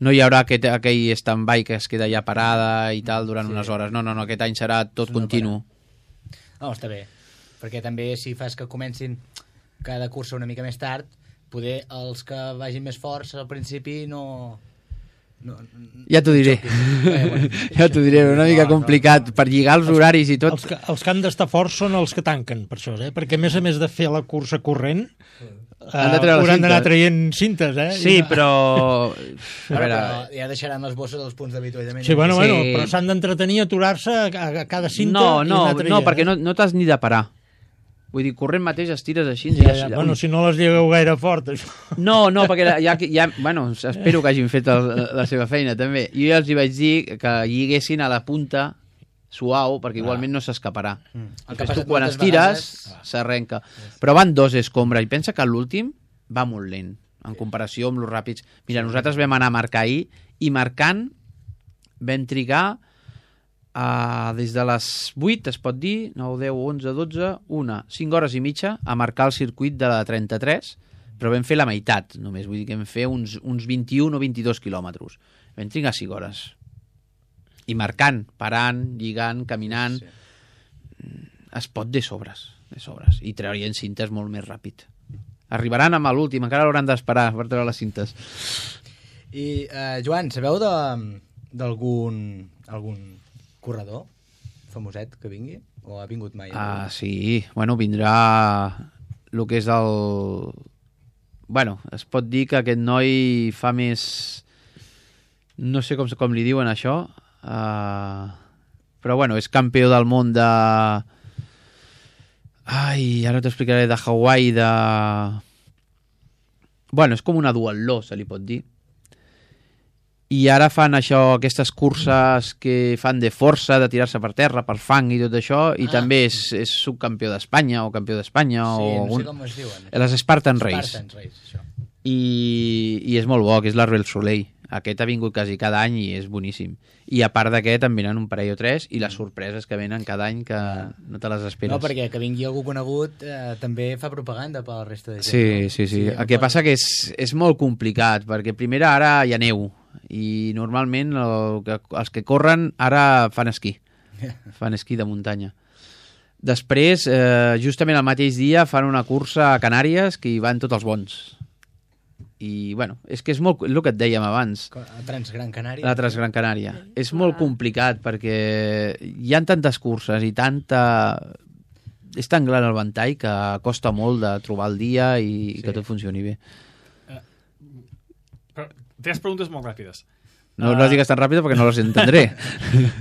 I: No hi haurà aquell stand-by que es queda ja parada i tal durant unes hores. No, aquest any serà tot continu.
E: No, està bé. Perquè també si fas que comencin cada cursa una mica més tard, poder els que vagin més forts al principi no
I: ja t'ho diré. Ja t'ho diré, una mica complicat per lligar els horaris i tot.
D: Els que han d'estar forts són els que tanquen, per això, perquè a més de fer la cursa corrent, hauran d'anar traient cintes,
I: Sí, però...
E: Però ja deixaran les bosses dels punts d'avituallament.
D: Sí, bueno, però s'han d'entretenir, aturar-se a cada cinta i anar traient.
I: No, perquè no t'has ni de parar. Vull dir, corrent mateix estires així...
D: Bueno, si no les llegueu gaire fort, això.
I: No, perquè bueno, espero que hagin fet la seva feina, també. Jo ja els hi vaig dir que lliguessin a la punta suau, perquè igualment no s'escaparà. Quan estires, s'arrenca. Però van 2 escombres, i pensa que l'últim va molt lent, en comparació amb els ràpids. Mira, nosaltres vam anar a marcar ahir, i marcant vam trigar... des de les 8, es pot dir, 9, 10, 11, 12, 5 hores i mitja a marcar el circuit de la 33, però vam fer la meitat, només, vull dir que vam fer uns 21 o 22 quilòmetres. Vam trigar 5 hores. I marcant, parant, lligant, caminant... Sí. Es pot de sobres, i traurien cintes molt més ràpid. Arribaran amb l'últim, encara l'hauran d'esperar per treure les cintes.
E: I, Joan, sabeu d'algun corredor famoset que vingui? O ha vingut mai?
I: Sí, bueno, vindrà el que és el... Bueno, es pot dir que aquest noi fa més... No sé com li diuen això, però bueno, és campió del món de... Ara t'explicaré, de Hawaii, de... Bueno, és com una duatló, se li pot dir. I ara fan aquestes curses que fan de força, de tirar-se per terra, per fang i tot això, i també és subcampió d'Espanya o campió d'Espanya.
E: Sí, no sé com es diuen.
I: Les Spartan Race.
E: Spartan Race, això.
I: I és molt bo, que és l'Arbel Soleil. Aquest ha vingut quasi cada any i és boníssim. I a part d'aquest en venen un parell o 3 i les sorpreses que venen cada any que no te les esperes.
E: No, perquè que vingui algú conegut també fa propaganda per la resta de gent.
I: Sí. El que passa que és molt complicat, perquè primer ara hi ha neu i normalment els que corren ara fan esquí. Fan esquí de muntanya. Després, justament el mateix dia, fan una cursa a Canàries que hi van tots els bons. I, bueno, és que és molt... El que et dèiem abans.
E: La Transgran Canària.
I: La Transgran Canària. És molt complicat perquè hi ha tantes curses i tanta... És tan gran el ventall que costa molt de trobar el dia i que tot funcioni bé.
A: Però 3 preguntes molt ràpides.
I: No les digues tan ràpida perquè no les entendré.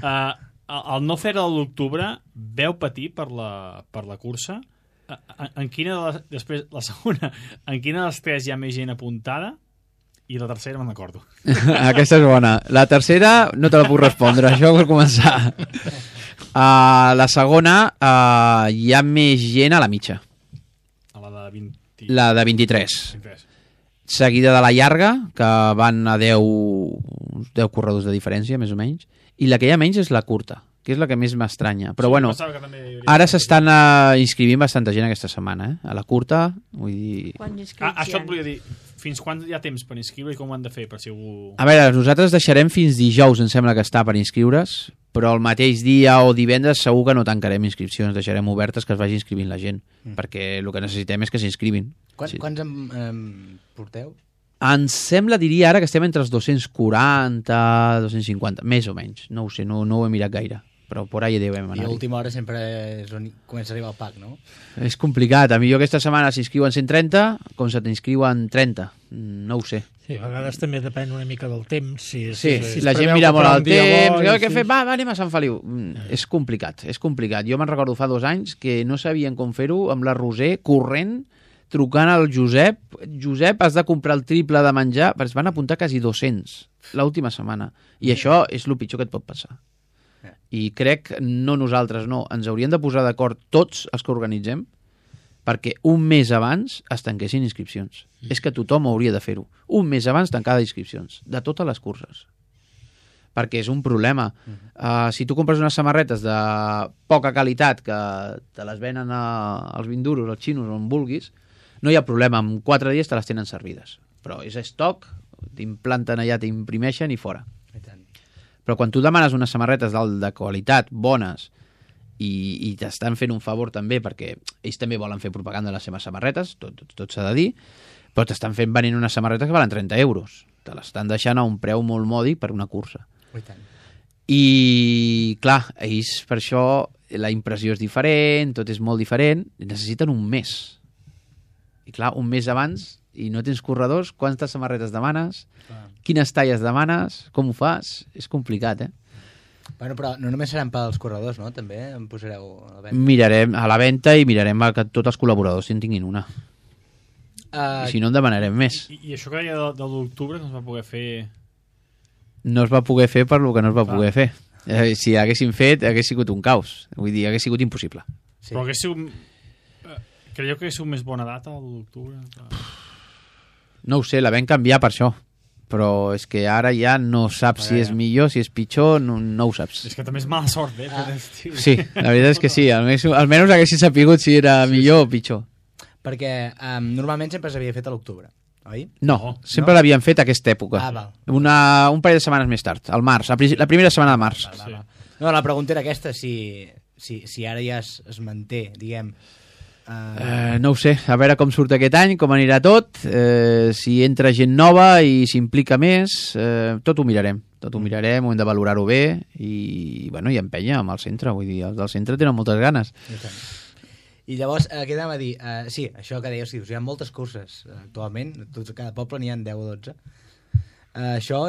A: El no fer-ho a l'octubre, veu patir per la cursa? En quina de les, després, la segona, en quina de les 3 hi ha més gent apuntada? I la tercera me'n recordo.
I: Aquesta és bona. La tercera no te la puc respondre, això per començar. La segona, hi ha més gent a la mitja.
A: A la de 20...
I: La de 23. Seguida de la llarga, que van a 10 corredors de diferència, més o menys. I la que hi ha menys és la curta, que és la que més m'estranya. Però bueno, ara s'estan inscrivint bastanta gent aquesta setmana, a la curta. Vull dir...
A: Això et volia dir, fins quan hi ha temps per inscriure i com ho han de fer? Per si algú...
I: A veure, nosaltres deixarem fins dijous, em sembla que està per inscriure's, però el mateix dia o divendres segur que no tancarem inscripcions, deixarem obertes que es vagi inscrivint la gent, perquè el que necessitem és que s'inscrivin.
E: Quants en porteu?
I: Em sembla, diria ara, que estem entre els 240, 250, més o menys. No ho sé, no ho he mirat gaire, però por ahí devem anar.
E: I a última hora sempre és on comença a arribar el pack, no?
I: És complicat. A mi aquesta setmana s'inscriuen 130, com se t'inscriuen 30. No ho sé.
D: Sí, a vegades també depèn una mica del temps.
I: Si la gent mira molt el temps, què fem? Va, anem a Sant Feliu. És complicat. Jo me'n recordo fa 2 anys que no sabien com fer-ho amb la Roser corrent, trucant al Josep. Josep, has de comprar el triple de menjar. Es van apuntar quasi 200 l'última setmana. I això és el pitjor que et pot passar. I crec, no nosaltres, no, ens haurien de posar d'acord tots els que organitzem perquè un mes abans es tanquessin inscripcions. És que tothom hauria de fer-ho. Un mes abans tancada inscripcions, de totes les curses. Perquè és un problema. Si tu compres unes samarretes de poca qualitat que te les venen als 20 duros, als xinos, on vulguis, no hi ha problema, en 4 dies te les tenen servides. Però és estoc, t'implanten allà, t'imprimeixen i fora. Però quan tu demanes unes samarretes de qualitat, bones, i t'estan fent un favor també, perquè ells també volen fer propaganda de les seves samarretes, tot s'ha de dir, Però t'estan fent venint unes samarretes que valen 30 euros. Te l'estan deixant a un preu molt mòdic per una cursa. I, clar, ells per això la impressió és diferent, tot és molt diferent, i necessiten un mes. I clar, un mes abans, i no tens corredors, quantes samarretes demanes, quines talles demanes, com ho fas? És complicat,
E: Bueno, però no només seran pels corredors, no? També em posareu a la venda.
I: Mirarem a la venda i mirarem que tots els col·laboradors en tinguin una. I si no, en demanarem més.
A: I això que deia de l'octubre no es va poder fer...
I: No es va poder fer per lo que no es va poder fer. Si haguéssim fet, hagués sigut un caos. Vull dir, hagués sigut impossible.
A: Sí. Però hagués sigut... Creieu que hagués sigut més bona data, l'octubre?
I: No ho sé, la vam canviar per això. Però és que ara ja no saps si és millor, si és pitjor, no ho saps.
A: És que també és mala sort,
I: Sí, la veritat és que sí. Almenys haguessin sapigut si era millor o pitjor.
E: Perquè normalment sempre s'havia fet a l'octubre, oi?
I: No, sempre l'havien fet a aquesta època. Un parell de setmanes més tard, al març, la primera setmana de març.
E: No, la pregunta era aquesta, si ara ja es manté, diguem...
I: No ho sé, a veure com surt aquest any, com anirà tot, si entra gent nova i s'implica més, tot ho mirarem, ho hem de valorar-ho bé i, bueno, i empènyer amb el centre, vull dir, els del centre tenen moltes ganes.
E: I llavors, què anem a dir? Sí, això que deies, hi ha moltes curses actualment, a cada poble n'hi ha 10 o 12. Això,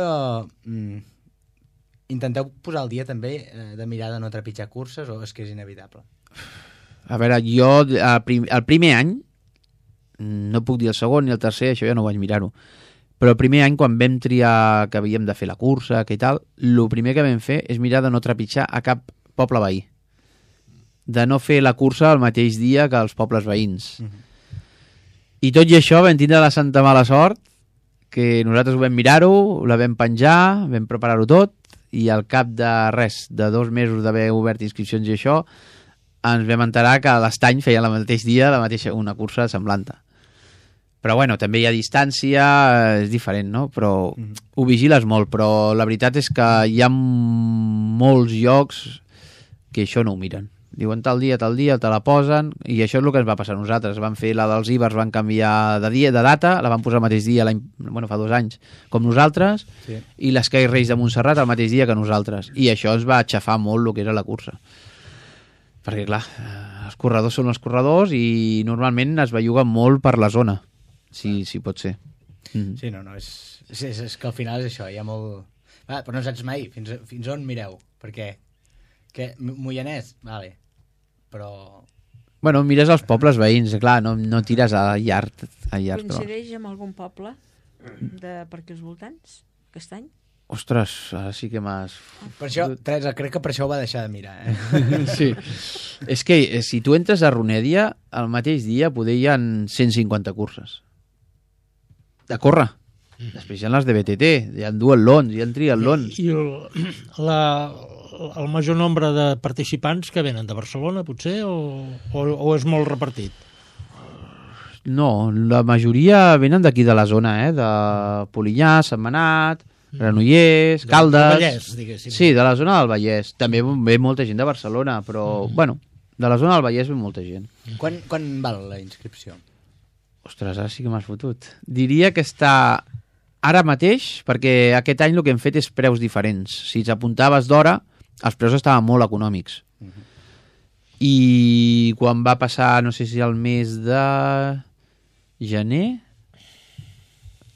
E: intenteu posar al dia també de mirar de no trepitjar curses o és que és inevitable?
I: A veure, jo el primer any, no puc dir el segon ni el tercer, això ja no vaig mirar-ho, però el primer any quan vam triar que havíem de fer la cursa que i tal, el primer que vam fer és mirar de no trepitjar a cap poble veí, de no fer la cursa el mateix dia que els pobles veïns. I tot i això vam tindre la santa mala sort que nosaltres ho vam mirar-ho, la vam penjar, vam preparar-ho tot i al cap de res, de 2 mesos d'haver obert inscripcions i això, ens vam enterar que a l'Estany feia el mateix dia una cursa semblant. Però bueno, també hi ha distància, és diferent, no? Però ho vigiles molt, però la veritat és que hi ha molts llocs que això no ho miren. Diuen tal dia, te la posen, i això és el que ens va passar a nosaltres. Van fer la dels Ibers, van canviar de data, la van posar el mateix dia, fa 2 anys, com nosaltres, i l'Sky Race de Montserrat el mateix dia que nosaltres. I això ens va aixafar molt el que era la cursa. Perquè, clar, els corredors són els corredors i normalment es belluga molt per la zona, si pot ser.
E: Sí, no, és que al final és això, hi ha molt... però no saps mai fins on mireu, perquè Moianès, vale, però...
I: Bueno, mires els pobles veïns, clar, no tires a llarg.
B: Coincideix amb algun poble per aquí als voltants, aquest any?
I: Ostres, ara sí que m'has...
E: Per això, Teresa, crec que per això ho va deixar de mirar,
I: Sí. És que si tu entres a Ronèdia, el mateix dia poder hi ha 150 curses. De córrer. Després hi ha les de BTT, hi ha duatlons, hi ha triatlons.
D: I el major nombre de participants que venen de Barcelona, potser, o és molt repartit?
I: No, la majoria venen d'aquí de la zona, de Polinyà, Sentmenat, Granollers, Caldes...
D: Del Vallès, diguéssim.
I: Sí, de la zona del Vallès. També ve molta gent de Barcelona, però, bueno, de la zona del Vallès ve molta gent.
E: Quan val la inscripció?
I: Ostres, ara sí que m'has fotut. Diria que està ara mateix, perquè aquest any el que hem fet és preus diferents. Si t'apuntaves d'hora, els preus estaven molt econòmics. I quan va passar, no sé si el mes de gener...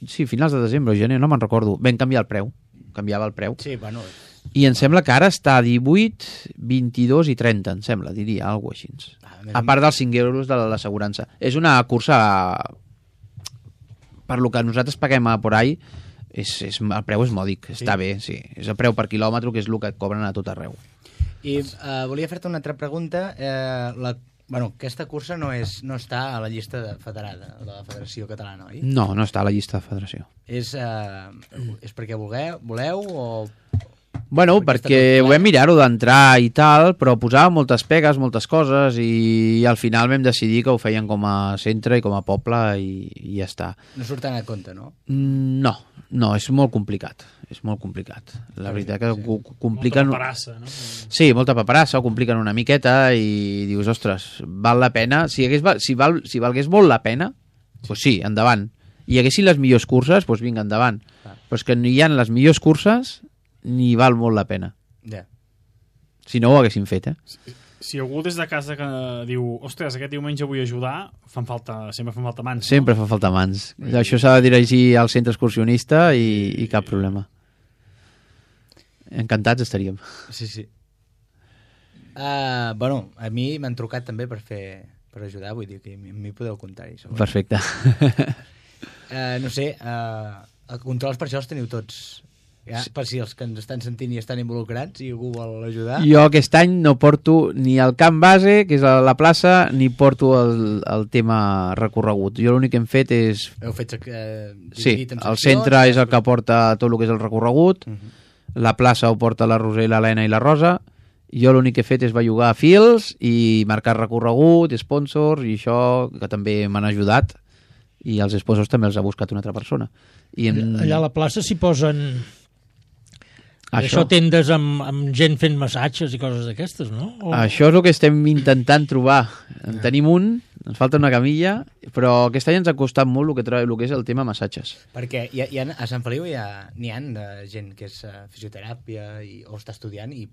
I: Sí, finals de desembre o gener, no me'n recordo. Vam canviar el preu. Canviava el preu.
E: Sí, bueno...
I: I em sembla que ara està a 18, 22 i 30, em sembla, diria, alguna cosa així. A part dels 5 euros de l'assegurança. És una cursa... Per lo que nosaltres paguem a por ahí, el preu és mòdic, està bé, sí. És el preu per quilòmetre, que és el que et cobren a tot arreu.
E: I volia fer-te una altra pregunta. Aquesta cursa no està a la llista federada, de la Federació Catalana, oi?
I: No està a la llista de federació.
E: És perquè voleu o...
I: Bueno, perquè ho vam mirar-ho d'entrar i tal, però posava moltes pegues, moltes coses, i al final vam decidir que ho feien com a centre i com a poble i ja està.
E: No surten a compte, no?
I: No, és molt complicat. És molt complicat. La veritat que ho compliquen...
A: Molta paperassa, no?
I: Sí, molta paperassa, ho compliquen una miqueta i dius, ostres, val la pena? Si valgués molt la pena, doncs sí, endavant. i haguessin les millors curses, doncs vinga, endavant. Però és que no hi ha les millors curses ni val molt la pena.
E: Ja.
I: Si no ho haguessin fet,
A: Si algú des de casa que diu ostres, aquest diumenge vull ajudar, sempre fan falta mans.
I: Sempre fan falta mans. Això s'ha de dirigir al centre excursionista i cap problema. Encantats estaríem.
E: Sí. Bueno, a mi m'han trucat també per ajudar, vull dir que a mi podeu comptar-hi.
I: Perfecte.
E: No sé, controls per això els teniu tots. Ja, per si els que ens estan sentint i estan involucrats i algú vol ajudar.
I: Jo aquest any no porto ni el camp base, que és a la plaça, ni porto el tema recorregut. Jo l'únic que hem fet és...
E: Heu fet
I: sí, el centre és el que porta tot el que és el recorregut, la plaça ho porta la Roser, l'Helena i la Rosa. Jo l'únic que he fet és bellugar fils i marcar recorregut, sponsors, i això que també m'han ajudat. I els sponsors també els ha buscat una altra persona.
D: Allà a la plaça s'hi posen... Això tendes amb gent fent massatges i coses d'aquestes, no?
I: Això és el que estem intentant trobar. En tenim un, ens falta una camilla, però aquest any ens ha costat molt el que és el tema massatges.
E: Perquè a Sant Feliu n'hi ha gent que és fisioteràpia o està estudiant i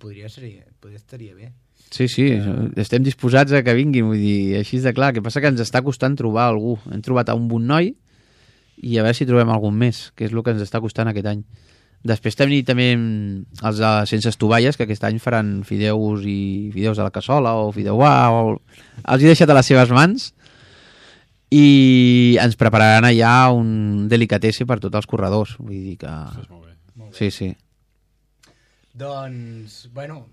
E: estaria bé.
I: Sí, estem disposats a que vinguin, vull dir, així de clar. El que passa que ens està costant trobar algú. Hem trobat un bon noi i a veure si trobem algun més, que és el que ens està costant aquest any. Després tenim també els de Sense Estovalles, que aquest any faran fideus a la cassola o fideuà. Els he deixat a les seves mans i ens prepararan allà un delicatesse per tots els corredors. Vull dir que...
A: Això és molt bé.
I: Sí.
E: Doncs, bueno,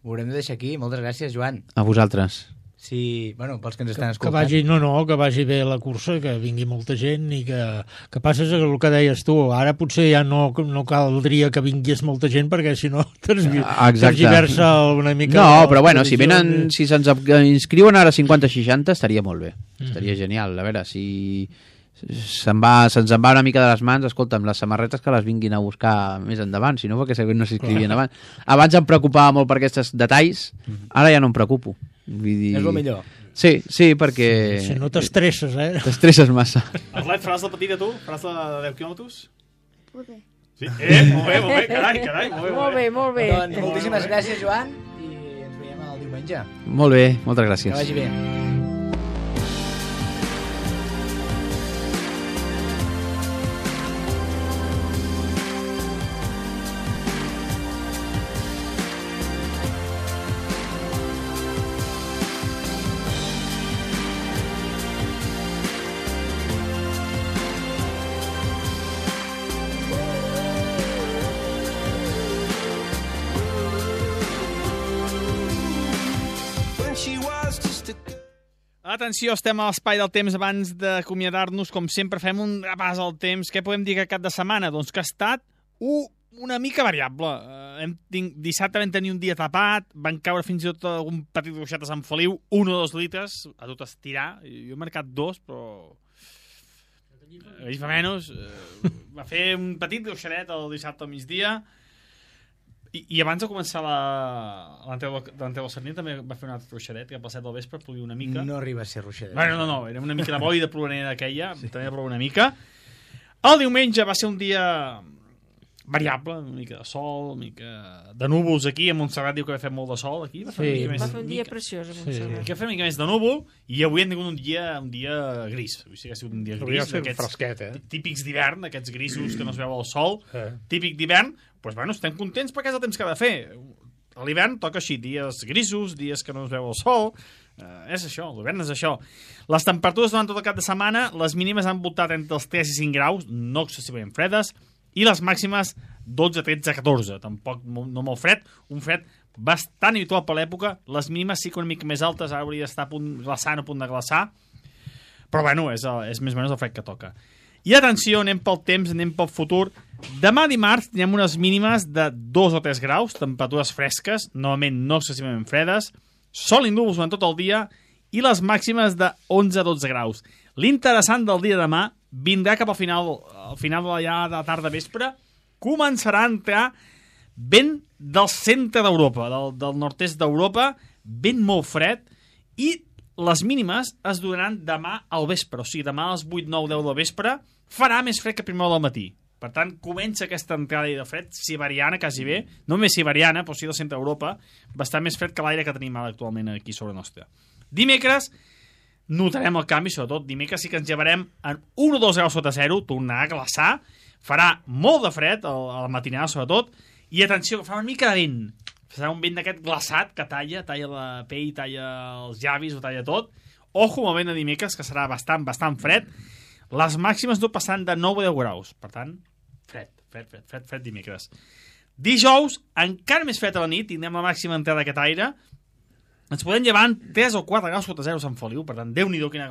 E: ho haurem de deixar aquí. Moltes gràcies, Joan.
I: A vosaltres.
E: Sí, bueno, pels que ens estan escoltant.
D: Que vagi bé la cursa, que vingui molta gent i que passes el que deies tu. Ara potser ja no caldria que vingués molta gent perquè si no tergiversa una mica...
I: No, però bueno, si se'ns inscriuen ara 50-60 estaria molt bé. Estaria genial. A veure, si se'ns en va una mica de les mans, escolta'm, les samarretes que les vinguin a buscar més endavant, si no perquè no s'inscrivien abans. Abans em preocupava molt per aquests detalls, ara ja no em preocupo. Vull dir...
E: És el millor.
I: Sí, perquè...
D: Si no t'estresses,
I: T'estresses massa.
A: Arlet, faràs la petita, tu? Faràs la de 10 quilòmetres?
J: Poder.
A: Sí? Molt bé, carai,
B: Molt bé.
E: Doncs moltíssimes gràcies, Joan, i ens veiem el diumenge.
I: Molt bé, moltes gràcies.
E: Que vagi bé.
A: Atenció, estem a l'espai del temps. Abans d'acomiadar-nos, com sempre, fem un repàs al temps. Què podem dir que cap de setmana? Doncs que ha estat una mica variable. Dissabte vam tenir un dia tapat, van caure fins i tot algun petit ruixat a Sant Feliu, 1 o 2 litres, a tot estirar. Jo he marcat 2, però... Ells fa menys. Va fer un petit ruixadet el dissabte al migdia. I abans de començar l'Anteu del Sarnier també va fer un altre ruixadet, que a les 7 del vespre plovia una mica.
E: No arriba a ser ruixadet.
A: Bueno, no, era una mica de boi de ploranera aquella, també va ploure una mica. El diumenge va ser un dia variable, una mica de sol, una mica de núvols aquí. A Montserrat diu que va fer molt de sol aquí. Va fer
B: un dia preciós a Montserrat.
A: Que va fer una mica més de núvol i avui hem tingut un dia gris. Vull dir que ha sigut un dia gris.
F: Fresquet,
A: típics d'hivern, aquests grisos que no es veu el sol. Típic d'hivern. Doncs bueno, estem contents perquè és el temps que ha de fer. A l'hivern toca així, dies grisos, dies que no es veu el sol. És això, l'hivern és això. Les temperatures durant tot el cap de setmana, les mínimes han voltat entre els 3 i 5 graus, no excessivament fredes, i les màximes 12, 13, 14. Tampoc no molt fred, un fred bastant habitual per l'època. Les mínimes sí que una mica més altes, ara hauria d'estar a punt de glaçar, però bueno, és més o menys el fred que toca. I atenció, anem pel temps, anem pel futur. Demà dimarts tenim unes mínimes de 2 o 3 graus, temperatures fresques, novament no excessivament fredes, sol i núvols durant tot el dia, i les màximes de 11 a 12 graus. L'interessant del dia de demà vindrà cap al final de tarda vespre, començarà a entrar vent del centre d'Europa, del nord-est d'Europa, vent molt fred, i les mínimes es donaran demà al vespre, o sigui, demà a les 8, 9, 10 del vespre farà més fred que a primera hora del matí. Per tant, comença aquesta entrada de fred siberiana, quasi bé, no més siberiana, però sí del centre d'Europa, bastant més fred que l'aire que tenim ara actualment aquí sobre nostra. Dimecres notarem el canvi, sobretot dimecres sí que ens llevarem en 1 o 2 graus sota zero, tornarà a glaçar, farà molt de fred a la matinada sobretot, i atenció, que fa una mica de vent, farà un vent d'aquest glaçat que talla la pell, talla els llavis, ho talla tot. Ojo amb el vent de dimecres, que serà bastant fred. Les màximes no passaran de 9 o 10 graus, per tant, fred dimecres. Dijous, encara més fred a la nit, tindrem la màxima entrada d'aquest aire, ens podem llevar en 3 o 4 graus sota zero a Sant Feliu, per tant, Déu-n'hi-do quina